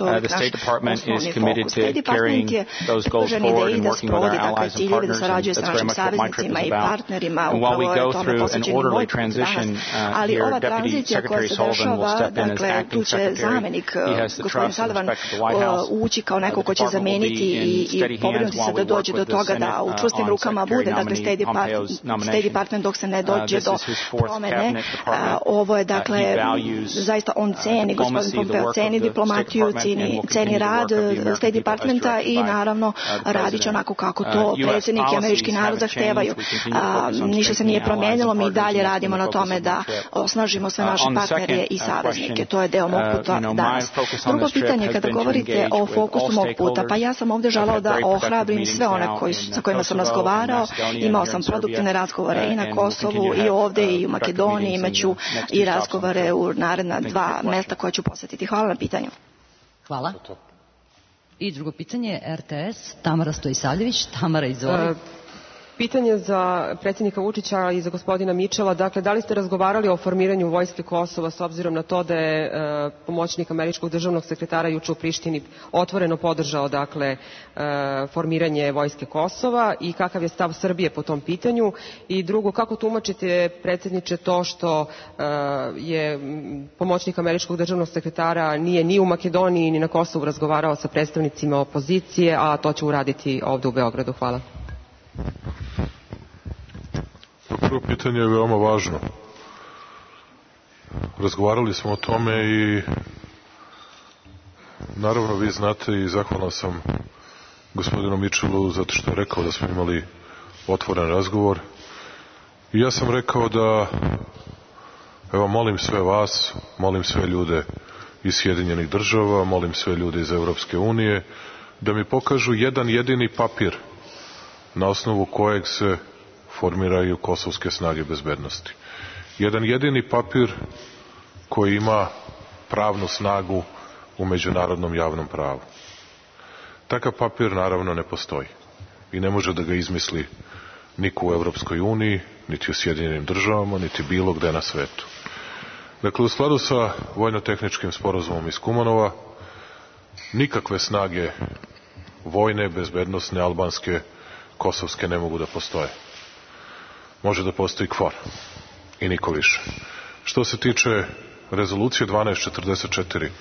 Uh, the State Department is committed to carrying those goals forward and working with our allies and partners, and that's very much what my trip is about. And while we go through an orderly transition, uh, here Deputy Secretary Sullivan will step in as acting secretary. He has the trust and respect of the White House. Uh, the Department will be in steady hands while we work with the Senate uh, on Secretary nominee Pompeo's State Department dok se ne dođe do promene. Ovo je, dakle, zaista on ceni, gospodin Pompeo ceni diplomatiju, ceni, ceni rad State Departmenta i naravno radit će onako kako to predsjednik i američki narod zahtevaju. Ništa se nije promijenilo, mi dalje radimo na tome da osnažimo sve naše partnere i saveznike. To je deo mog puta danas. Drugo pitanje, kada govorite o fokusu mog puta, pa ja sam ovdje želao da ohrabrim sve one koji, sa kojima sam razgovarao. Imao sam produktivne razgovore i na Kosovu i ovdje i u Makedoniji, imaću i razgovore u naredna dva mjesta koja ću posjetiti. Hvala na pitanju. Hvala. I drugo pitanje, R T S, Tamara Stojisavljević. Tamara, izvoli. Pitanje za predsjednika Vučića i za gospodina Mičela, dakle, da li ste razgovarali o formiranju vojske Kosova s obzirom na to da je e, pomoćnik američkog državnog sekretara juče u Prištini otvoreno podržao, dakle, e, formiranje vojske Kosova i kakav je stav Srbije po tom pitanju? I drugo, kako tumačite, predsjedniče, to što e, je pomoćnik američkog državnog sekretara nije ni u Makedoniji ni na Kosovu razgovarao sa predstavnicima opozicije, a to će uraditi ovde u Beogradu? Hvala. Prvo pitanje je veoma važno. Razgovarali smo o tome i naravno vi znate i zahvalan sam gospodinu Mičelu zato što je rekao da smo imali otvoren razgovor. I ja sam rekao da, evo, molim sve vas, molim sve ljude iz Sjedinjenih država, molim sve ljude iz Evropske unije da mi pokažu jedan jedini papir na osnovu kojeg se formiraju kosovske snage bezbednosti. Jedan jedini papir koji ima pravnu snagu u međunarodnom javnom pravu. Takav papir naravno ne postoji i ne može da ga izmisli niko u Evropskoj uniji, niti u Sjedinjenim državama, niti bilo gde na svetu. Dakle, u skladu sa vojno-tehničkim sporazumom iz Kumanova, nikakve snage vojne, bezbednosne, albanske, kosovske ne mogu da postoje. Može da postoji KFOR i niko više. Što se tiče rezolucije dvanaest četrdeset četiri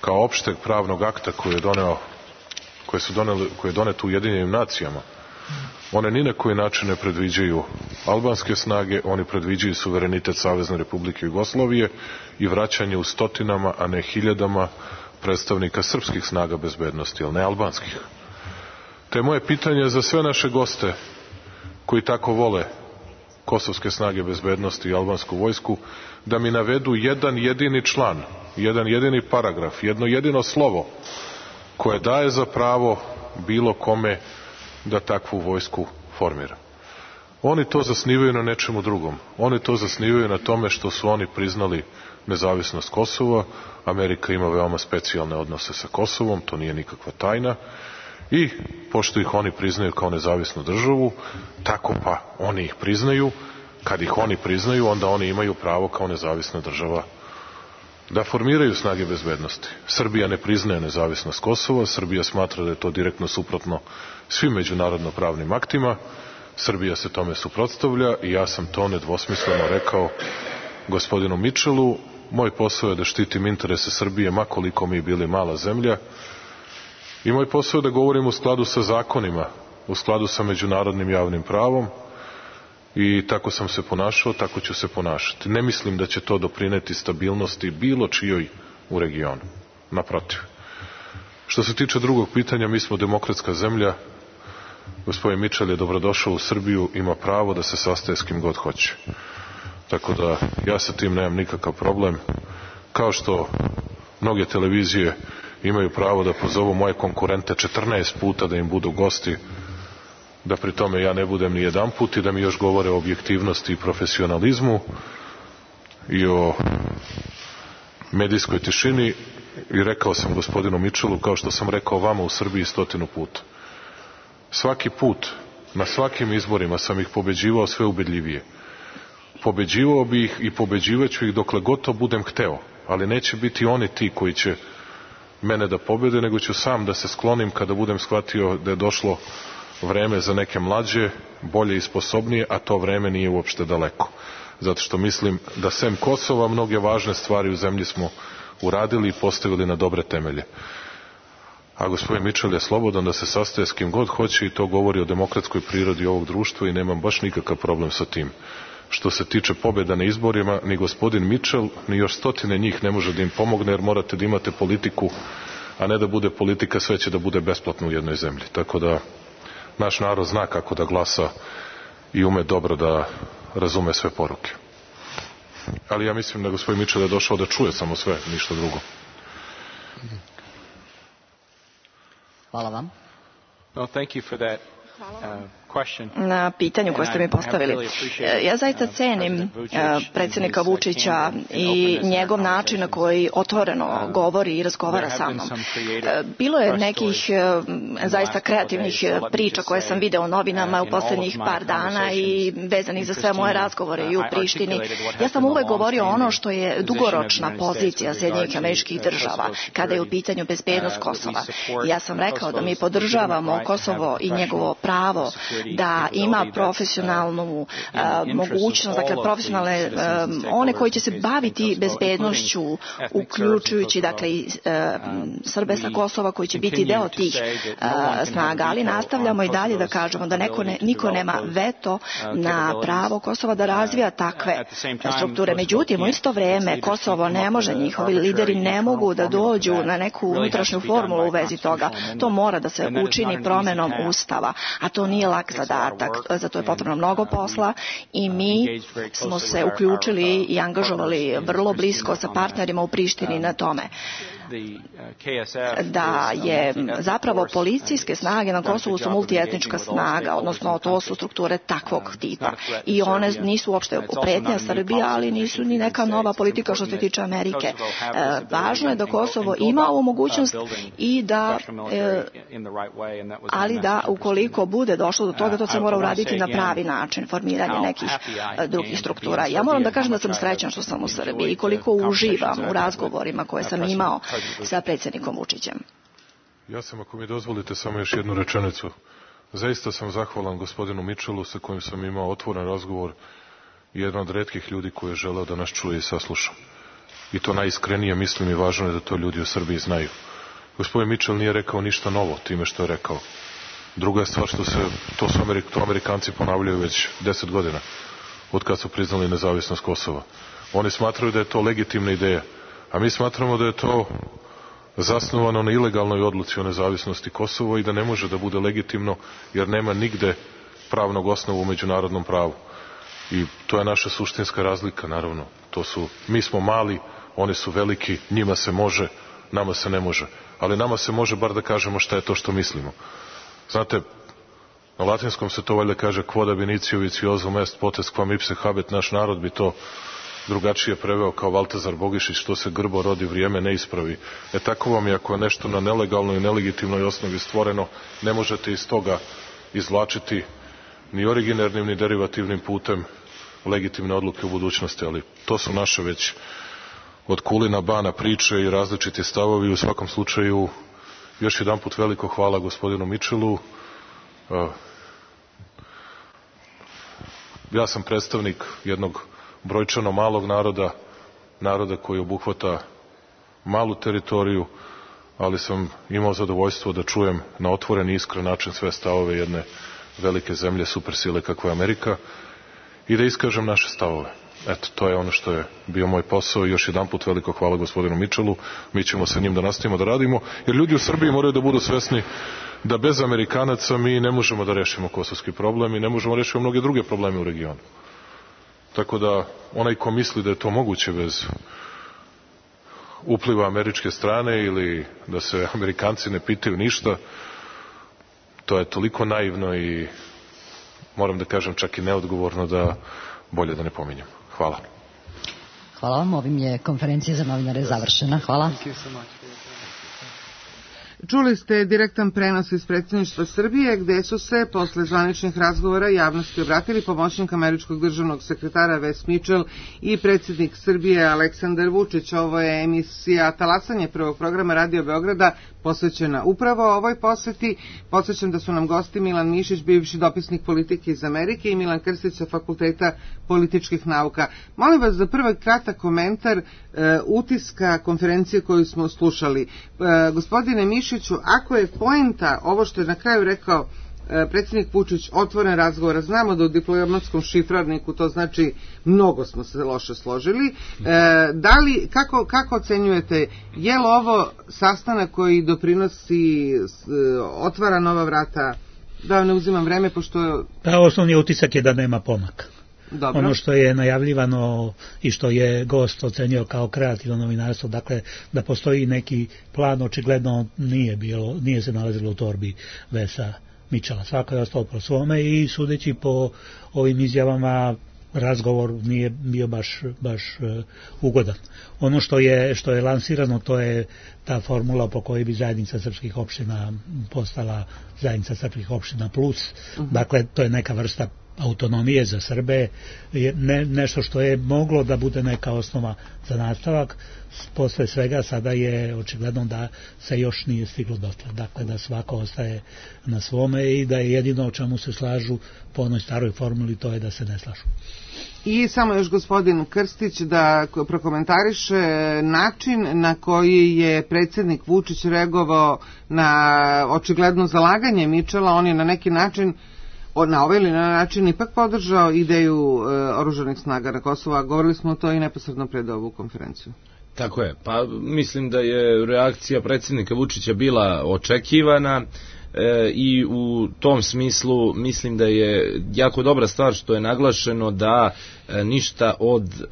kao opšteg pravnog akta koji je doneo koje su doneli, koje je donet u Ujedinjenim nacijama, one ni na koji način ne predviđaju albanske snage, oni predviđaju suverenitet Savezne Republike Jugoslavije i vraćanje u stotinama, a ne hiljadama predstavnika srpskih snaga bezbednosti, ali ne albanskih. Te moje pitanje za sve naše goste koji tako vole kosovske snage bezbednosti i albansku vojsku, da mi navedu jedan jedini član, jedan jedini paragraf, jedno jedino slovo koje daje za pravo bilo kome da takvu vojsku formira. Oni to zasnivaju na nečemu drugom. Oni to zasnivaju na tome što su oni priznali nezavisnost Kosova. Amerika ima veoma specijalne odnose sa Kosovom, to nije nikakva tajna. I pošto ih oni priznaju kao nezavisnu državu, tako pa oni ih priznaju. Kad ih oni priznaju, onda oni imaju pravo kao nezavisna država da formiraju snage bezbednosti. Srbija ne priznaje nezavisnost Kosova, Srbija smatra da je to direktno suprotno svim međunarodno pravnim aktima, Srbija se tome suprotstavlja i ja sam to nedvosmisleno rekao gospodinu Mičelu. Moj posao je da štitim interese Srbije, makoliko mi bili mala zemlja, i moj posao je da govorim u skladu sa zakonima, u skladu sa međunarodnim javnim pravom, i tako sam se ponašao, tako ću se ponašati. Ne mislim da će to doprineti stabilnosti bilo čijoj u regionu. Naprotiv. Što se tiče drugog pitanja, mi smo demokratska zemlja. Gospodin Mičel je dobrodošao u Srbiju, ima pravo da se sastaje s kim god hoće. Tako da ja sa tim nemam nikakav problem. Kao što mnoge televizije imaju pravo da pozovu moje konkurente četrnaest puta da im budu gosti, da pri tome ja ne budem ni jedan put i da mi još govore o objektivnosti i profesionalizmu i o medijskoj tišini. I rekao sam gospodinu Mičelu, kao što sam rekao vama u Srbiji stotinu puta. Svaki put, na svakim izborima sam ih pobeđivao sve ubedljivije. Pobeđivao bi ih i pobeđivaću ih dokle gotovo budem hteo, ali neće biti oni ti koji će mene da pobede, nego ću sam da se sklonim kada budem shvatio da je došlo vreme za neke mlađe, bolje i sposobnije, a to vreme nije uopšte daleko. Zato što mislim da sem Kosova mnoge važne stvari u zemlji smo uradili i postavili na dobre temelje. A gospodin Mičel je slobodan da se sastaje s kim god hoće i to govori o demokratskoj prirodi ovog društva i nemam baš nikakav problem sa tim. Što se tiče pobjeda na izborima, ni gospodin Mičel, ni još stotine njih ne može da im pomogne, jer morate da imate politiku, a ne da bude politika, sve će da bude besplatno u jednoj zemlji. Tako da naš narod zna kako da glasa i ume dobro da razume sve poruke. Ali ja mislim da gospodin Mičel je došao da čuje samo sve, ništa drugo. Hvala vam. Well, thank you for that uh, na pitanju koje ste mi postavili. Ja zaista cenim predsjednika Vučića i njegov način na koji otvoreno govori i razgovara sa mnom. Bilo je nekih zaista kreativnih priča koje sam video u novinama u posljednjih par dana i vezanih za sve moje razgovore i u Prištini. Ja sam uvek govorio ono što je dugoročna pozicija Sjedinjenih Američkih Država kada je u pitanju bezbednost Kosova. Ja sam rekao da mi podržavamo Kosovo i njegovo pravo da ima profesionalnu uh, mogućnost, dakle profesionalne um, one koji će se baviti bezbednošću, uključujući dakle i uh, Srbe sa Kosova koji će biti deo tih uh, snaga, ali nastavljamo i dalje da kažemo da neko ne, niko nema veto na pravo Kosova da razvija takve strukture. Međutim, u isto vreme Kosovo ne može, njihovi lideri ne mogu da dođu na neku unutrašnju formulu u vezi toga. To mora da se učini promenom Ustava, a to nije lak zadatak. Za to je potrebno mnogo posla i mi smo se uključili i angažovali vrlo blisko sa partnerima u Prištini na tome. Da je zapravo policijske snage na Kosovu su multietnička snaga, odnosno to su strukture takvog tipa i one nisu uopšte pretnja Srbije, ali nisu ni neka nova politika što se tiče Amerike. Važno je da Kosovo ima ovu mogućnost i da ali da ukoliko bude došlo do toga, to se mora uraditi na pravi način, formiranje nekih drugih struktura. Ja moram da kažem da sam srećan što sam u Srbiji i koliko uživam u razgovorima koje sam imao sa predsjednikom Vučićem. Ja sam, ako mi dozvolite, samo još jednu rečenicu. Zaista sam zahvalan gospodinu Mitchellu sa kojim sam imao otvoren razgovor i jedan od retkih ljudi koji je želeo da nas čuje i sasluša. I to najiskrenije mislim i važno je da to ljudi u Srbiji znaju. Gospodin Mitchell nije rekao ništa novo time što je rekao. Druga je stvar što se, to su Amerik, to Amerikanci ponavljaju već deset godina, od kad su priznali nezavisnost Kosova. Oni smatraju da je to legitimna ideja, a mi smatramo da je to zasnovano na ilegalnoj odluci o nezavisnosti Kosova i da ne može da bude legitimno jer nema nigde pravnog osnovu u međunarodnom pravu. I to je naša suštinska razlika, naravno. To su, mi smo mali, oni su veliki, njima se može, nama se ne može. Ali nama se može bar da kažemo šta je to što mislimo. Znate, na latinskom se to valjda kaže quod ab initio vitiosum est potest quam ipse habet, naš narod bi to drugačije preveo kao Valtazar Bogišić, što se grbo rodi, vrijeme ne ispravi. E tako vam je, ako je nešto na nelegalnoj i nelegitimnoj osnovi stvoreno, ne možete iz toga izvlačiti ni originarnim ni derivativnim putem legitimne odluke u budućnosti, ali to su naše već od kulina bana priče i različiti stavovi. U svakom slučaju, još jedan put veliko hvala gospodinu Mitchellu. Ja sam predstavnik jednog brojčano malog naroda, naroda koji obuhvata malu teritoriju, ali sam imao zadovoljstvo da čujem na otvoren i iskren način sve stavove jedne velike zemlje, supersile kakva je Amerika, i da iskažem naše stavove. Eto, to je ono što je bio moj posao i još jedan put veliko hvala gospodinu Mitchellu. Mi ćemo sa njim da nastavimo da radimo, jer ljudi u Srbiji moraju da budu svesni da bez Amerikanaca mi ne možemo da rešimo kosovski problem i ne možemo da rešimo mnoge druge probleme u regionu. Tako da onaj ko misli da je to moguće bez upliva američke strane ili da se Amerikanci ne pitaju ništa, to je toliko naivno i moram da kažem čak i neodgovorno da bolje da ne pominjem. Hvala. Hvala vam, ovim je konferencija za novinare završena. Hvala. Čuli ste direktan prenos iz predsjedništva Srbije, gde su se posle zvaničnih razgovora javnosti obratili pomoćnik američkog državnog sekretara Wes Mitchell i predsjednik Srbije Aleksandar Vučić. Ovo je emisija Talasanje prvog programa Radio Beograda posvećena upravo ovoj poseti. Podsjećam da su nam gosti Milan Mišić, bivši dopisnik politike iz Amerike, i Milan Krstić sa Fakulteta političkih nauka. Molim vas za prvi kratak komentar e, utiska konferencije koju smo slušali. E, gospodine Mišiću, ako je poenta ovo što je na kraju rekao e, predsjednik Vučić, otvoren razgovor, znamo da u diplomatskom šifrarniku to znači mnogo smo se loše složili, e, da li, kako, kako ocenjujete, je li ovo sastanak koji doprinosi, e, otvara nova vrata, da ne uzimam vreme, pošto... Da, osnovni utisak je da nema pomaka. Dobro. Ono što je najavljivano i što je gost ocenio kao kreativno novinarstvo, dakle da postoji neki plan, očigledno nije bilo, nije se nalazilo u torbi Vesa Mičela. Svako je ostao po svome i sudeći po ovim izjavama razgovor nije bio baš, baš uh, ugodan. Ono što je, što je lansirano, to je ta formula po kojoj bi zajednica srpskih opština postala zajednica srpskih opština plus. Uh-huh. Dakle, to je neka vrsta autonomije za Srbe, ne, nešto što je moglo da bude neka osnova za nastavak. Posle svega sada je očigledno da se još nije stiglo dotle. Dakle, da svako ostaje na svome i da je jedino o čemu se slažu po onoj staroj formuli, to je da se ne slažu. I samo još gospodin Krstić da prokomentariše način na koji je predsjednik Vučić reagovao na očigledno zalaganje Mičela. On je na neki način na ovaj ili na način ipak podržao ideju e, oružanih snaga na Kosovo, a govorili smo to i neposredno pred ovu konferenciju. Tako je, pa mislim da je reakcija predsjednika Vučića bila očekivana e, i u tom smislu mislim da je jako dobra stvar što je naglašeno da e, ništa od e,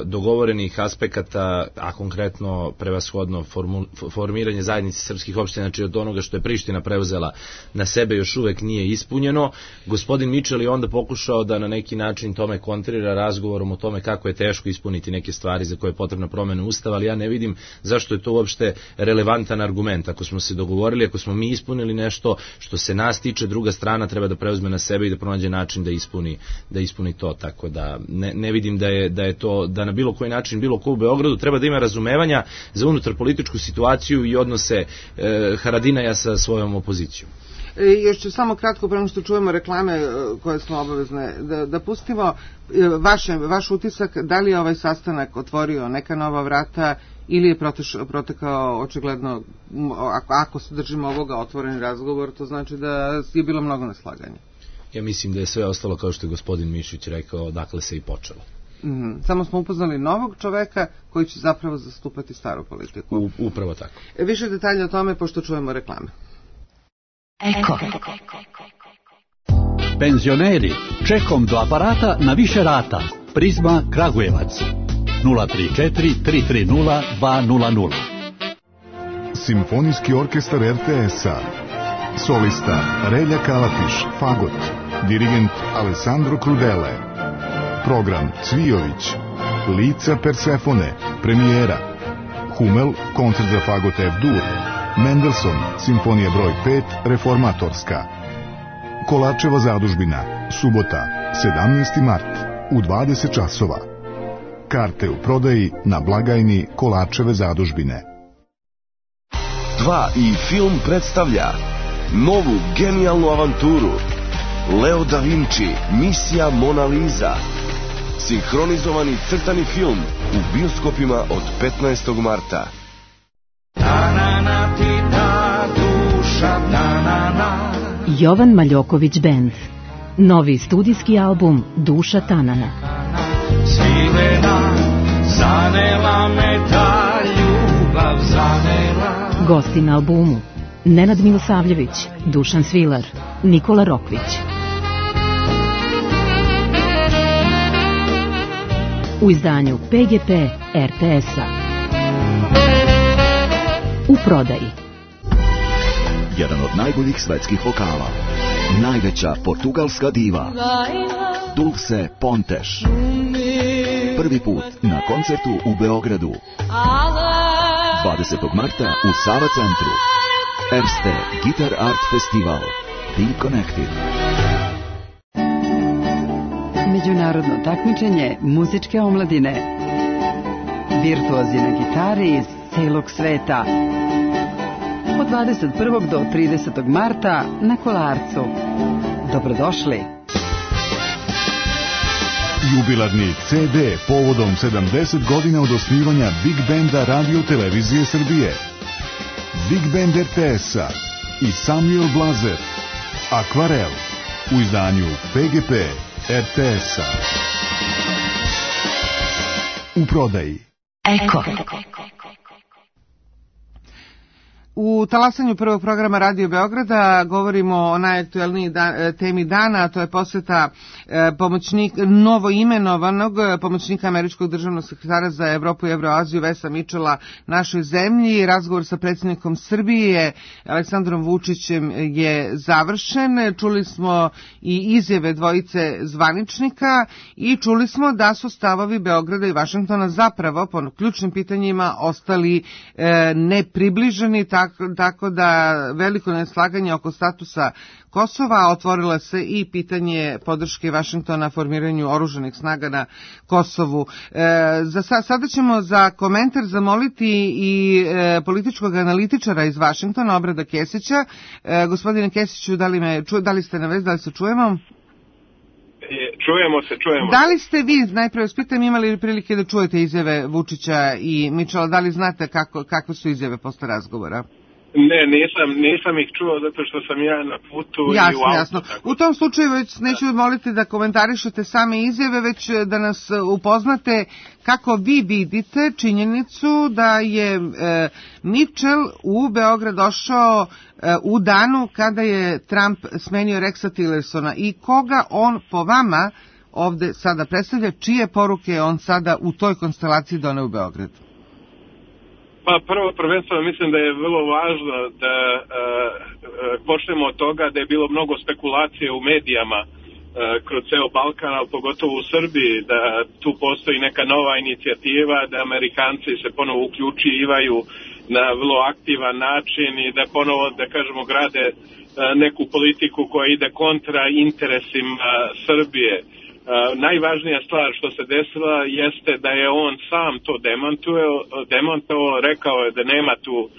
dogovorenih aspekata, a konkretno prevashodno formu, formiranje zajednice srpskih opština, znači od onoga što je Priština preuzela na sebe, još uvek nije ispunjeno. Gospodin Mičel je onda pokušao da na neki način tome kontrira razgovorom o tome kako je teško ispuniti neke stvari za koje je potrebna promena Ustava, ali ja ne vidim zašto je to uopšte relevantan argument. Ako smo se dogovorili, ako smo mi ispunili nešto što se nas tiče, druga strana treba da preuzme na sebe i da pronađe način da ispuni, da ispuni to, tako da ne, ne vidim da je, da je to, da na bilo koji način, bilo ko u Beogradu treba da ima razumevanja za unutar političku situaciju i odnose e, Haradinaja sa svojom opozicijom. E, još ću samo kratko, prema što čujemo reklame koje smo obavezne, da, da pustimo vaše, vaš utisak, da li je ovaj sastanak otvorio neka nova vrata ili je proteš, protekao očigledno, ako, ako se držimo ovoga otvoreni razgovor, to znači da je bilo mnogo neslaganja. Ja mislim da je sve ostalo kao što je gospodin Mišić rekao, dakle se i počelo. Mm, samo smo upoznali novog čoveka koji će zapravo zastupati staru politiku. U, upravo tako. E, više detalja o tome pošto čujemo reklame. Eko. Penzioneri, čekom do aparata na više rata. Prizma Kragujevac. nula tri četiri tri tri nula dva nula nula. Simfonijski orkestar er te es-a. Solista Relja Kalatiš, fagot. Dirigent Alessandro Crudele. Program Cvijović. Lica Persefone, premijera. Hummel, koncert za fagot F-dur. Mendelssohn, simfonija broj pet, reformatorska. Kolačeva zadužbina, subota, sedamnaesti mart, u dvadeset časova. Karte u prodaji na blagajni Kolačeve zadužbine. dva i film predstavlja novu genijalnu avanturu Leo da Vinci, misija Mona Lisa. Sinhronizovani crtani film u bioskopima od petnaestog marta. Jovan Maljoković Band. Novi studijski album Duša Tanana. Svilena, zanela me ta ljubav, zanela. Gosti na albumu: Nenad Milosavljević, Dušan Svilar, Nikola Rokvić. U izdanju pe ge pe er te es-a. U prodaji. Jedan od najboljih svetskih vokala. Najveća portugalska diva. Dulce Pontes. Prvi put na koncertu u Beogradu. dvadesetog marta u Sava centru. Erste Guitar Art Festival. Be Connected. Međunarodno takmičenje muzičke omladine. Virtuozi na gitari iz celog sveta. Od dvadeset prvog do tridesetog marta na Kolarcu. Dobrodošli. Jubilarni ce de povodom sedamdeset godina od osnivanja Big Banda Radio Televizije Srbije. Big Band er te es-a i Samuel Blazer. Akvarel u izdanju pe ge pe er te es-a. U prodaji. Eko. U talasanju prvog programa Radio Beograda govorimo o najaktuelniji da, temi dana, a to je poseta e, pomoćnik, novoimenovanog pomoćnika američkog državnog sekretara za Evropu i Evroaziju Vesa Mičela našoj zemlji. Razgovor sa predsjednikom Srbije Aleksandrom Vučićem je završen. Čuli smo i izjave dvojice zvaničnika i čuli smo da su stavovi Beograda i Vašingtona zapravo po ključnim pitanjima ostali e, nepribliženi, tako tako da veliko neslaganje oko statusa Kosova, otvorila se i pitanje podrške Vašingtona formiranju oružanih snaga na Kosovu. E, za, sada ćemo za komentar zamoliti i e, političkog analitičara iz Vašingtona, Obrada Kesića. E, gospodine Kesiću, da li, me, ču, da li ste na vezi, da li se čujemo? Čujemo se, čujemo. Da li ste vi, najprve vas pitam, imali prilike da čujete izjave Vučića i Mičela, da li znate kako, kakve su izjave posle razgovora? Ne, nisam, nisam ih čuo zato što sam ja na putu jasno, i u auto. Jasno. U tom slučaju već neću moliti da komentarišete same izjave, već da nas upoznate kako vi vidite činjenicu da je e, Mitchell u Beograd došao e, u danu kada je Trump smenio Rexa Tillersona i koga on po vama ovde sada predstavlja, čije poruke on sada u toj konstelaciji doneo u Beograd? Pa prvo prvenstveno mislim da je vrlo važno da e, počnemo od toga da je bilo mnogo spekulacije u medijama e, kroz ceo Balkan, ali pogotovo u Srbiji, da tu postoji neka nova inicijativa, da Amerikanci se ponovo uključivaju na vrlo aktivan način i da ponovo, da kažemo, grade e, neku politiku koja ide kontra interesima Srbije. Uh, najvažnija stvar što se desila jeste da je on sam to demantovao, rekao je da nema tu uh,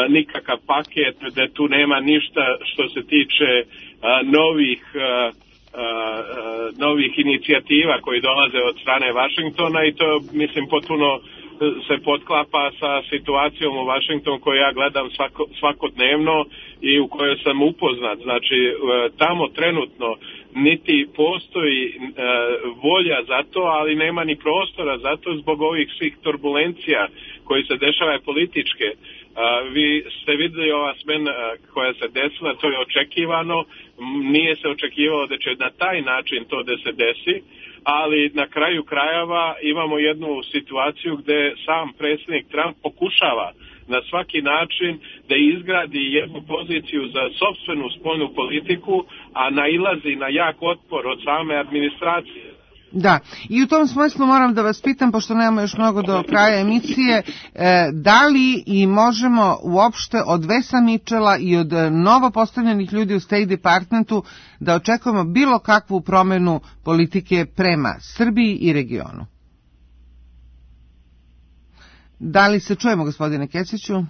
nikakav paket, da tu nema ništa što se tiče uh, novih uh, uh, novih inicijativa koji dolaze od strane Vašingtona i to mislim potpuno se potklapa sa situacijom u Vašingtonu koju ja gledam svako, svakodnevno i u kojoj sam upoznat. Znači tamo trenutno niti postoji e, volja za to, ali nema ni prostora za to zbog ovih svih turbulencija koji se dešavaju političke. E, vi ste vidjeli ova smena koja se desila, to je očekivano, nije se očekivalo da će na taj način to da se desi, ali na kraju krajeva imamo jednu situaciju gde sam predsjednik Trump pokušava na svaki način da izgradi jednu poziciju za sopstvenu spoljnu politiku, a nailazi na jak otpor od same administracije. Da, i u tom smislu moram da vas pitam, pošto nemamo još mnogo do kraja emisije, da li i možemo uopšte od Vesa Mičela i od novo postavljenih ljudi u State Departmentu da očekujemo bilo kakvu promenu politike prema Srbiji i regionu? Da li se čujemo, gospodine Kesiću?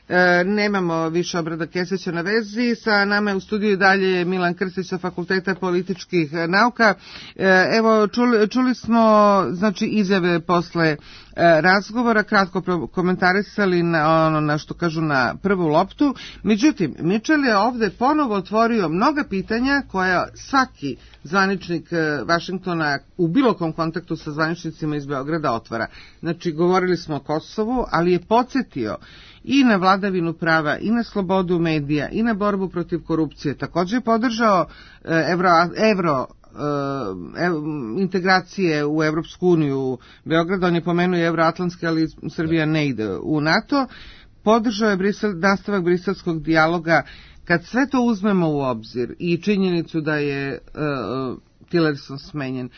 E, nemamo više Obrada Kesića na vezi. Sa nama je u studiju dalje Milan Krstić sa Fakulteta političkih nauka. E, evo, čuli, čuli smo znači, izjave posle e, razgovora, kratko komentarisali na ono na što kažu na prvu loptu. Međutim, Mitchell je ovde ponovo otvorio mnoga pitanja koja svaki zvaničnik Vašingtona u bilo kom kontaktu sa zvaničnicima iz Beograda otvara. Znači, govorili smo o Kosovu, ali je podsjetio i na vladavinu prava, i na slobodu medija, i na borbu protiv korupcije. Također je podržao evro, evro ev, integracije u Evropsku uniju. Beograd, on je pomenuo evroatlantske, ali Srbija ne ide u NATO. Podržao je Brisel, nastavak briselskog dijaloga. Kad sve to uzmemo u obzir i činjenicu da je uh, Tillerson smenjen, uh,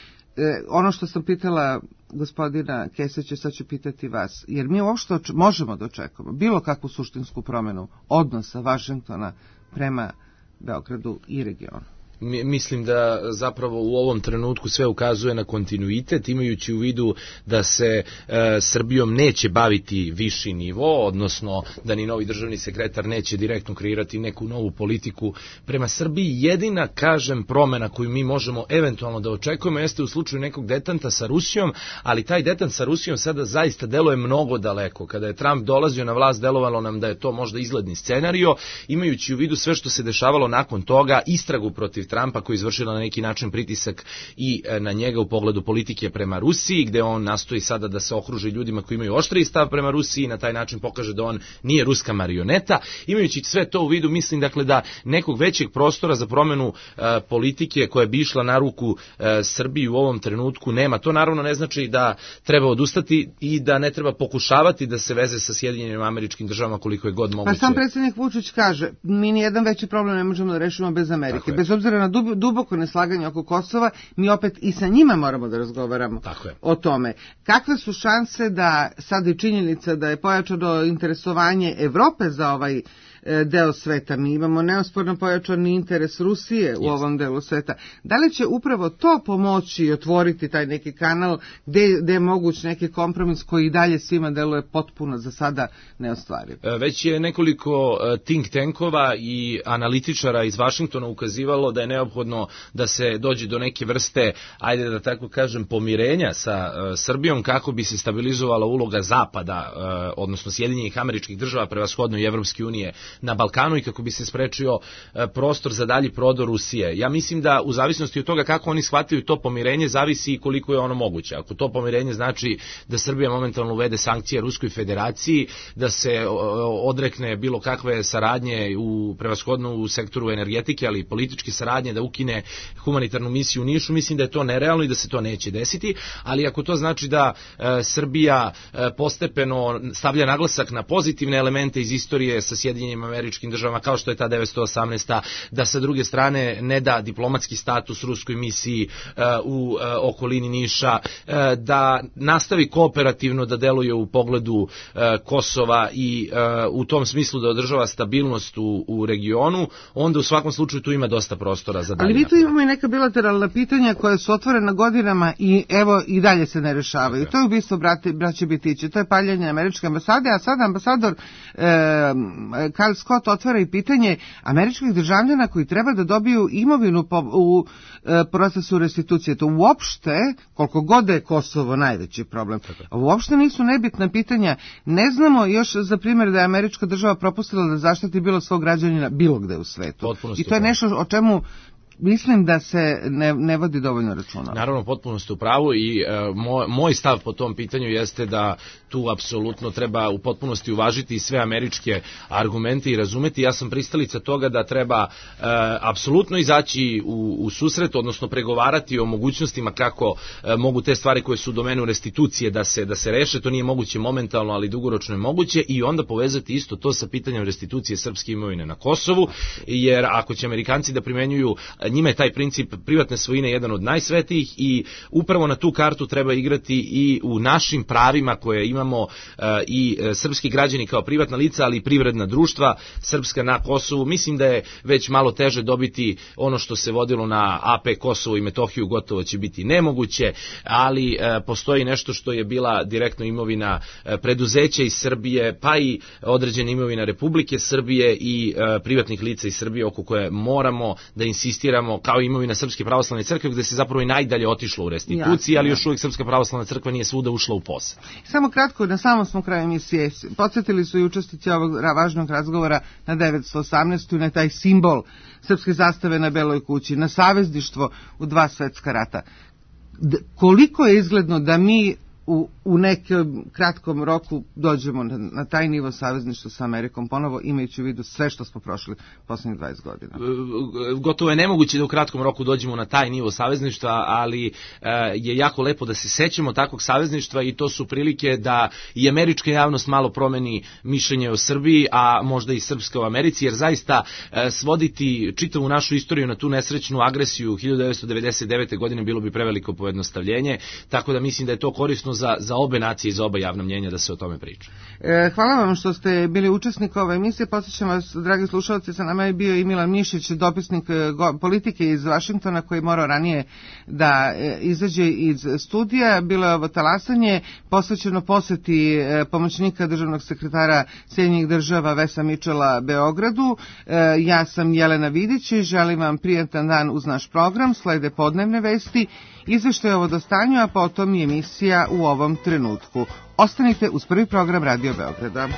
ono što sam pitala gospodina Kesića, sad ću pitati vas, jer mi uopšte oč- možemo da očekujemo bilo kakvu suštinsku promjenu odnosa Vašingtona prema Beogradu i regionu. Mislim da zapravo u ovom trenutku sve ukazuje na kontinuitet, imajući u vidu da se e, Srbijom neće baviti viši nivo, odnosno da ni novi državni sekretar neće direktno kreirati neku novu politiku prema Srbiji. Jedina, kažem, promena koju mi možemo eventualno da očekujemo jeste u slučaju nekog detanta sa Rusijom, ali taj detant sa Rusijom sada zaista deluje mnogo daleko. Kada je Trump dolazio na vlast, delovalo nam da je to možda izgledni scenario, imajući u vidu sve što se dešavalo nakon toga, istragu protiv protiv Trumpa, koji je izvršila na neki način pritisak i na njega u pogledu politike prema Rusiji, gde on nastoji sada da se okruži ljudima koji imaju oštriji stav prema Rusiji i na taj način pokaže da on nije ruska marioneta. Imajući sve to u vidu, mislim dakle da nekog većeg prostora za promenu e, politike koja bi išla na ruku e, Srbiji u ovom trenutku nema. To naravno ne znači da treba odustati i da ne treba pokušavati da se veze sa Sjedinjenim Američkim Državama koliko je god moguće. Pa sam predsjednik Vučić kaže, mi ni jedan veći problem ne možemo da rešimo bez Amerike. Bez obzira na dub, duboko neslaganje oko Kosova, mi opet i sa njima moramo da razgovaramo o tome. Kakve su šanse da sad je činjenica da je pojačano interesovanje Evrope za ovaj deo sveta. Mi imamo neosporno pojačani interes Rusije u yes. ovom delu sveta. Da li će upravo to pomoći i otvoriti taj neki kanal gde, gde je moguć neki kompromis koji i dalje svima deluje potpuno za sada neostvariv? Već je nekoliko think tankova i analitičara iz Vašingtona ukazivalo da je neophodno da se dođe do neke vrste, ajde da tako kažem, pomirenja sa uh, Srbijom kako bi se stabilizovala uloga Zapada, uh, odnosno Sjedinjenih Američkih Država, prevashodno i Evropske unije na Balkanu i kako bi se sprečio prostor za dalji prodor Rusije. Ja mislim da u zavisnosti od toga kako oni shvataju to pomirenje zavisi i koliko je ono moguće. Ako to pomirenje znači da Srbija momentalno uvede sankcije Ruskoj federaciji, da se odrekne bilo kakve saradnje u prevashodno u sektoru energetike, ali i političke saradnje, da ukine humanitarnu misiju u Nišu, mislim da je to nerealno i da se to neće desiti, ali ako to znači da e, Srbija e, postepeno stavlja naglasak na pozitivne elemente iz istorije sa Sjedinjenim Američkim Državama, kao što je ta devetsto osamnaesta, da sa druge strane ne da diplomatski status ruskoj misiji uh, u uh, okolini Niša, uh, da nastavi kooperativno da deluje u pogledu uh, Kosova i uh, u tom smislu da održava stabilnost u, u regionu, onda u svakom slučaju tu ima dosta prostora za dalje. Ali mi tu imamo i neka bilateralna pitanja koja su otvorena godinama i evo i dalje se ne rešavaju. Okay. To je ubistvo brate, braće Bitiće, to je paljanje američke ambasade, a sada ambasador e, Karl Scott otvara i pitanje američkih državljana koji treba da dobiju imovinu po, u e, procesu restitucije. To uopšte, koliko god je Kosovo najveći problem, uopšte nisu nebitna pitanja. Ne znamo još za primjer da je američka država propustila da zaštiti bilo svog građanina bilo gde u svetu. Potpuno I to je nešto o čemu mislim da se ne, ne vodi dovoljno računa. Naravno, potpuno ste u pravu i e, moj, moj stav po tom pitanju jeste da tu apsolutno treba u potpunosti uvažiti sve američke argumente i razumeti. Ja sam pristalica toga da treba e, apsolutno izaći u, u susret, odnosno pregovarati o mogućnostima kako e, mogu te stvari koje su u domenu restitucije da se, da se reše. To nije moguće momentalno, ali dugoročno je moguće i onda povezati isto to sa pitanjem restitucije srpske imovine na Kosovu, jer ako će Amerikanci da primenjuju, njima je taj princip privatne svojine jedan od najsvetijih i upravo na tu kartu treba igrati i u našim pravima koje imamo uh, i uh, srpski građani kao privatna lica, ali i privredna društva srpska na Kosovu. Mislim da je već malo teže dobiti ono što se vodilo na A P Kosovo i Metohiju, gotovo će biti nemoguće, ali uh, postoji nešto što je bila direktno imovina uh, preduzeća iz Srbije, pa i određena imovina Republike Srbije i uh, privatnih lica iz Srbije oko koje moramo da insistiramo, kao imovina Srpske pravoslavne crkve, gde se zapravo i najdalje otišlo u restituciji, ali još uvijek Srpska pravoslavna crkva nije svuda ušla u posed. Samo kratko, na samom smo kraju emisije, podsjetili su i učesnici ovog važnog razgovora na devetsto osamnaestu. na taj simbol srpske zastave na Beloj kući, na savezništvo u dva svetska rata. D- koliko je izgledno da mi u, u nekom kratkom roku dođemo na, na taj nivo savezništva sa Amerikom ponovo, imajući u vidu sve što smo prošli posljednjih dvadeset godina. Gotovo je nemoguće da u kratkom roku dođemo na taj nivo savezništva, ali e, je jako lepo da se sećamo takvog savezništva i to su prilike da i američka javnost malo promeni mišljenje o Srbiji, a možda i srpska u Americi, jer zaista e, svoditi čitavu našu istoriju na tu nesrećnu agresiju hiljadu devetsto devedeset devete. godine bilo bi preveliko pojednostavljenje, tako da mislim da je to korisno za, za obe nacije i za oba javna mnjenja da se o tome priča. E, hvala vam što ste bili učesnik ove emisije. Podsjećam vas, dragi slušalci, sa nama je bio i Milan Mišić, dopisnik go, politike iz Vašingtona, koji morao ranije da e, izađe iz studija. Bilo je ovo talasanje posvećeno poseti e, pomoćnika državnog sekretara Sjedinjenih država Vesa Mičela Beogradu. E, ja sam Jelena Vidić i želim vam prijatan dan uz naš program. Slede podnevne vesti, izveštaj o vodostanju, a potom i emisija u ovom trenutku. Ostanite uz prvi program Radio Beograda.